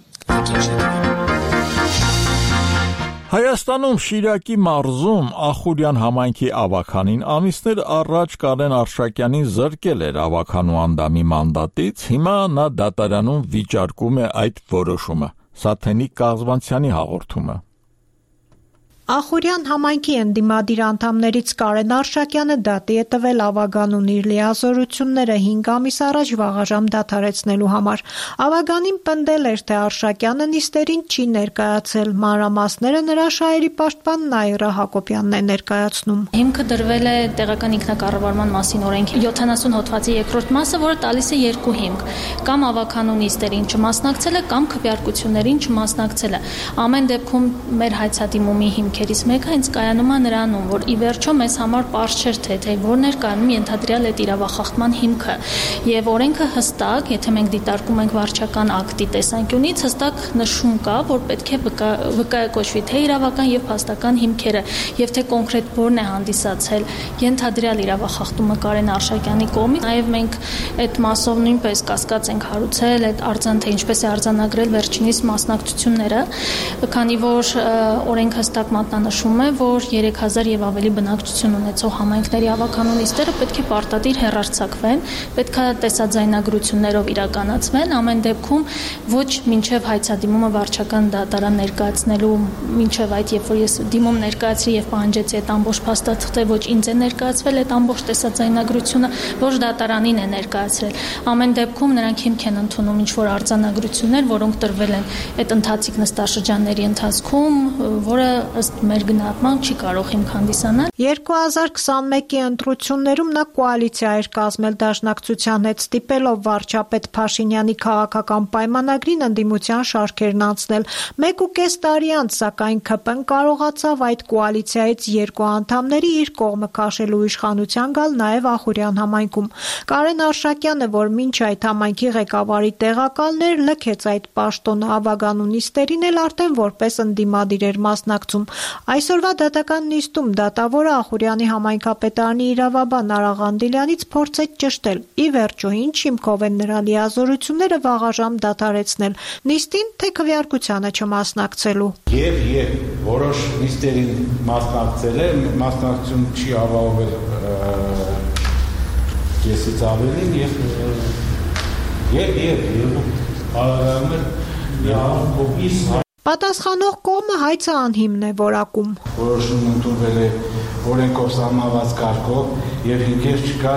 Հայաստանում Շիրակի մարզում Ախուրյան համայնքի ավականին ամիսներ առաջ Կարեն Արշակյանին զրկել էր ավականու անդամի մանդատից, հիմա նա դատարանում վիճարկում է այդ որոշումը։ Սաթենիկ Կազմանցյանի հաղորդումը։ Ախուրյան համայնքի ընդդիմադիր անդամներից Կարեն Արշակյանը դատի է տվել Ավագանուն իր լիազորությունները հինգ ամիս առաջ վաղաժամ դադարեցնելու համար։ Ավագանին պնդել էր, թե Արշակյանը նիստերին չի ներկայացել, մանրամասները նրա շահերի պաշտպան Նաիրա Հակոբյանն է ներկայացնում։ Հիմքը դրվել է տեղական ինքնակառավարման մասին օրենքի յոթանասուն հոդվածի երկրորդ մասը, որը տալիս է երկու հիմք՝ կամ ավագանու նիստերին չմասնակցելը, կամ քվեարկություններին չմասնակցելը։ Ամեն դեպքում մեր հայցադիմումի հիմքերից մեկը հենց կայանում է նրանում, որ ի վերջո մեզ համար պարզ չէր թե թե որն էր կայանում ենթադրյալ այդ իրավախախտման հիմքը։ Եվ օրենքը հստակ, եթե մենք դիտարկում ենք վարչական ակտի տեսանկյունից, հստակ նշում կա, որ պետք է վկայակոչվի թե իրավական եւ փաստական հիմքերը, եւ թե կոնկրետ որն է հանդիսացել ենթադրյալ իրավախախտումը Կարեն Արշակյանի կողմից։ Նաեւ մենք այդ մասով նույնպես կասկած ենք հարուցել այդ արձան թե ինչպես է արձանագրել վերջինիս մասնակցությունները, քանի որ օրենքը հստակ մատնանշում է, որ երեք հազար եւ ավելի բնակչություն ունեցող համայնքների ավագանու նիստերը պետք է պարտադիր հեռարձակվեն, պետք է տեսաձայնագրություններով իրականացվեն, ամեն դեպքում ոչ մինչեւ հայցադիմումը վարչական դատարան ներկայացնելու, մինչեւ այդ երբ որ ես դիմում ներկայացրի եւ պահանջեցի այդ ամբողջ փաստաթղթե, ոչ ինձ է ներկայացվել այդ ամբողջ տեսաձայնագրությունը, ոչ դատարանին է ներկայացրել։ Ամեն դեպքում նրանք հիմք են ընդունում ինչ որ արձանագրություններ, որոնք տրվել են այդ ընթացիկ նստաշրջանների ընթացքում, որը ըստ մեր գնահատման չի կարող հիմք հանդիսանալ։ երկու հազար քսանմեկի ընտրություններում նա կոալիցիա էր կազմել դաշնակցության հետ, ստիպելով վարչապետ Փաշինյանի քաղաքական պայմանագրին ընդդիմության շարքերն անցնել։ Մեկ ու կես տարի անց, սակայն ՔՊ-ն կարողացավ այդ կոալիցիայից երկու անդամների իր կողմը քաշելու իշխանության գալ նաև Ախուրյան համայնքում։ Կարեն Արշակյանը, որ մինչ այդ համայնքի ղեկավարի տեղակալն էր, լքեց այդ պաշտոնը, ավագանու նիստերին էլ արդեն որպես ընդդիմադիր էր մասնակցում։ Այսօրվա դատական նիստում դատավորը Ախուրյանի համայնքապետարանի իրավաբան Արա Ղանդիլյանից փորձեց ճշտել։ Ի վերջո, ինչ հիմքով են նրա լիազորությունները վաղաժամ դադարեցնել, նիստին թե քվեարկությանը չմասնակցելու։ Եվ եւ որոշ նիստերին մասնակցել է, մասնակցություն չի ապահովել կեսից ավելին եւ եւ եւ եւ Պատասխանող կողմը հայցը անհիմն է որակում։ Որոշում ընդունվել է օրենքով սահմանված կարգով եւ հիմքեր չկա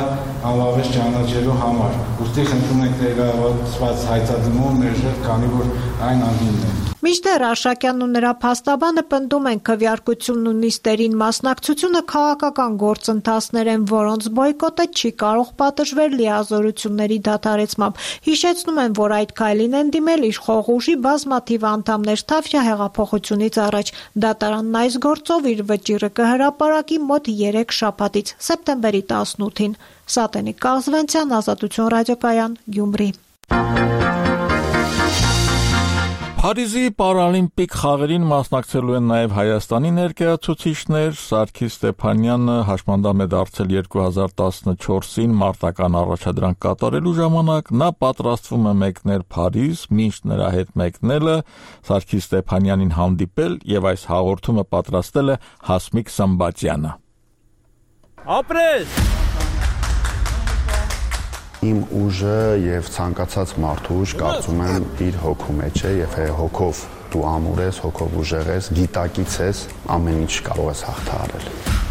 անվավեճ ճանաչելու համար։ Ուստի խնդրում ենք ներկայացված հայցադիմում մերժել, քանի որ այն անհիմն է։ Մինչդեռ Արշակյանն ու նրա փաստաբանը պնդում են քվեարկությունն ու նիստերին մասնակցությունը քաղաքական գործընթացներ են, որոնց բոյկոտը չի կարող պատժվել լիազորությունների դադարեցմամբ։ Հիշեցնում են, որ այդ քայլին են դիմել իշխող ուժի բազմաթիվ անդամներ Թավշյա հեղափոխությունից առաջ։ Դատարանն այս գործով իր վճիռը կհրապարակի մոտ երեք շաբաթից, սեպտեմբերի տասնութին։ Սատենիկ Կազվենցյան, Ազատություն ռադիոկայան, Գյումրի։ Փարիզի պարալիմպիկ խաղերին մասնակցելու են նաև Հայաստանի ներկայացուցիչներ։ Սարգիս Ստեփանյանը հաշմանդամ է դարձել երկու հազար տասնչորսին մարտական առաջադրանք կատարելու ժամանակ։ Նա պատրաստվում է մեկնել Փարիզ, մինչ նրա հետ մեկնելը Սարգիս Ստեփանյանին հանդիպել եւ այս հաղորդումը պատրաստել է Հասմիկ Սմբատյանը։ Ապրես Իմ ուժը եւ ցանկացած մարդու ուժ կարծում եմ իր հոգու մեջ է եւ հոգով դու ամուր ես, հոգով ուժեղ ես, գիտակից ես, ամեն ինչ կարող ես հաղթահարել։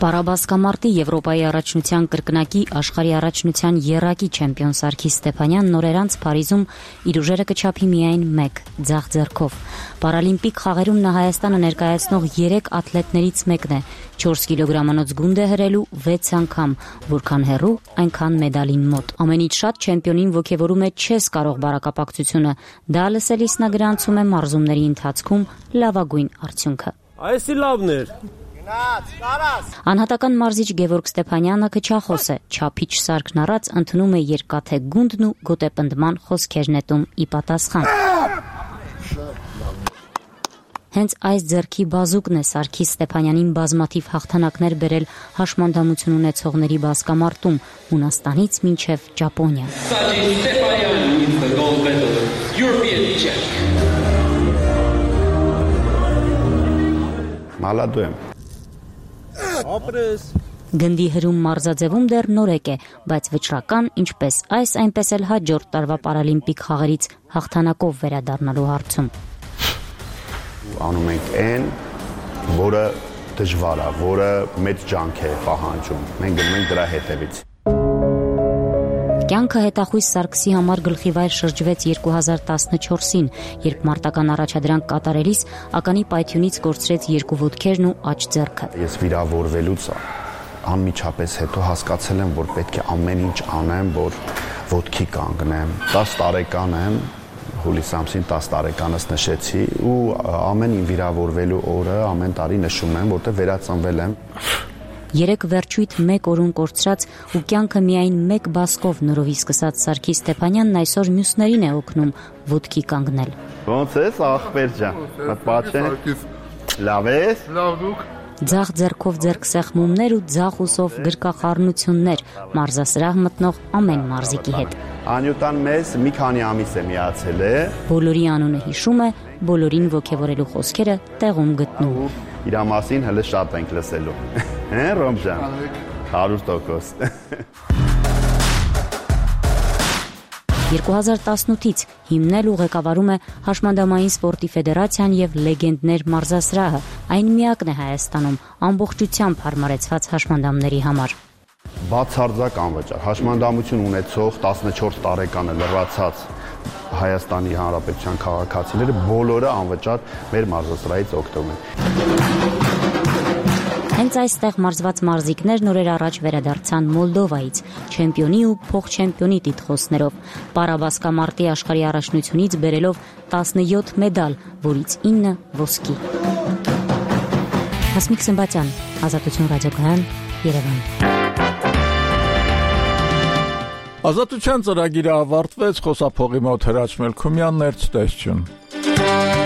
Պարաբասկամարտի Եվրոպայի առաջնության կրկնակի աշխարհի առաջնության եռակի չեմպիոն Սարգիս Ստեփանյանն նորերանց Փարիզում իր ուժերը կչափի միայն մեկ ձախ ձեռքով։ Պարալիմպիկ խաղերում նա Հայաստանը ներկայացնող երեք աթլետներից մեկն է, չորս կիլոգրամանոց գունդ է հրելու վեց անգամ, որքան հեռու, այնքան մեդալին մոտ։ Ամենից շատ չեմպիոնին ոգևորում է չես կարող բարակապակցությունը, դա լսելիս նա գրանցում է մարզումների ընթացքում լավագույն արդյունքը։ Այսի լավն էր։ Անհատական մարզիչ Գևորգ Ստեփանյանը քչախոս է, չափիչ սարքն առած ընդունում է երկաթե գունդն ու գոտեպնդման խոսքեր նետում ի պատասխան։ Հենց այս ձեռքի բազուկն է Սարգիս Ստեփանյանին բազմաթիվ հաղթանակներ բերել հաշմանդամություն ունեցողների բասկամարտում Հունաստանից մինչև Ճապոնիա։ Մալադու եմ։ Ապրես։ Գնդի հրում մարզաձևում դեռ նորեկ է, բայց վճռական, ինչպես այս, այնպես էլ հաջորդ տարվա պարալիմպիկ խաղերից հաղթանակով վերադառնալու հարցում։ Անում ենք N, որը դժվար է, որը մեծ ջանք է պահանջում։ Մենք գնում ենք դրա հետևից։ Կյանքը հետախույս Սարգսի համար գլխիվայր շրջվեց երկու հազար տասնչորսին, երբ մարտական առաջադրանք կատարելիս ականի պայթյունից կորցրեց երկու ոտքերն ու աջ ձեռքը։ Ես վիրավորվելուց անմիջապես հետո հասկացել եմ, որ պետք է ամեն ինչ անեմ, որ ոտքի կանգնեմ։ տասը տարեկան եմ, հուլիս ամսին տասը տարեկանս նշեցի ու ամեն ինչ վիրավորվելու օրը ամեն տարի նշում եմ, որտեղ վերածնվել եմ։ Երեք վերջույթ մեկ օրուն կորցրած ու կյանքը միայն մեկ բասկով նորովի սկսած Սարգիս Ստեփանյանն այսօր մյուսներին է օգնում ոտքի կանգնել։ Ոնց ես ախպեր ջան։ Պատպաչե։ Լավ ես։ Լավ դուք։ Ձախ ձեռքով ձեռքսեղմումներ ու ձախ ուսով գրկախառնություններ, մարզասրահ մտնող ամեն մարզիկի հետ։ Անյուտան մեզ մի քանի ամիս է միացել է։ Բոլորի անունը հիշում է, բոլորին ոգևորելու խոսքերը տեղում գտնում։ Իր մասին հələ շատ ենք լսելու։ Հե, Ռոմ ջան։ հարյուր տոկոս։ երկու հազար տասնութից հիմնել ու ղեկավարում է Հաշմանդամային սպորտի ֆեդերացիան եւ Լեգենդներ մարզասրահը, այն միակն է Հայաստանում ամբողջությամբ հարմարեցված հաշմանդամների համար։ Բացարձակ անվճար հաշմանդամություն ունեցող տասնչորս տարեկան լրացած Հայաստանի Հանրապետության քաղաքացիները բոլորը անվճար մեր մարզասրահից օգտվում են։ Հենց այստեղ մարզված մարզիկներն օրեր առաջ վերադարձան Մոլդովայից, չեմպիոնի ու փոխչեմպիոնի տիտղոսներով, պարաբասկամարտի աշխարհի առաջնությունից բերելով տասնյոթ մեդալ, որից ինը ոսկի։ Հասմիկ Սմբատյան, Ազատություն ռադիոկայան, Երևան։ Ազատության ծրագիրը ավարտվեց, խոսափողի մոտ Հրաչ Մելքումյանն էր, ցտեսություն։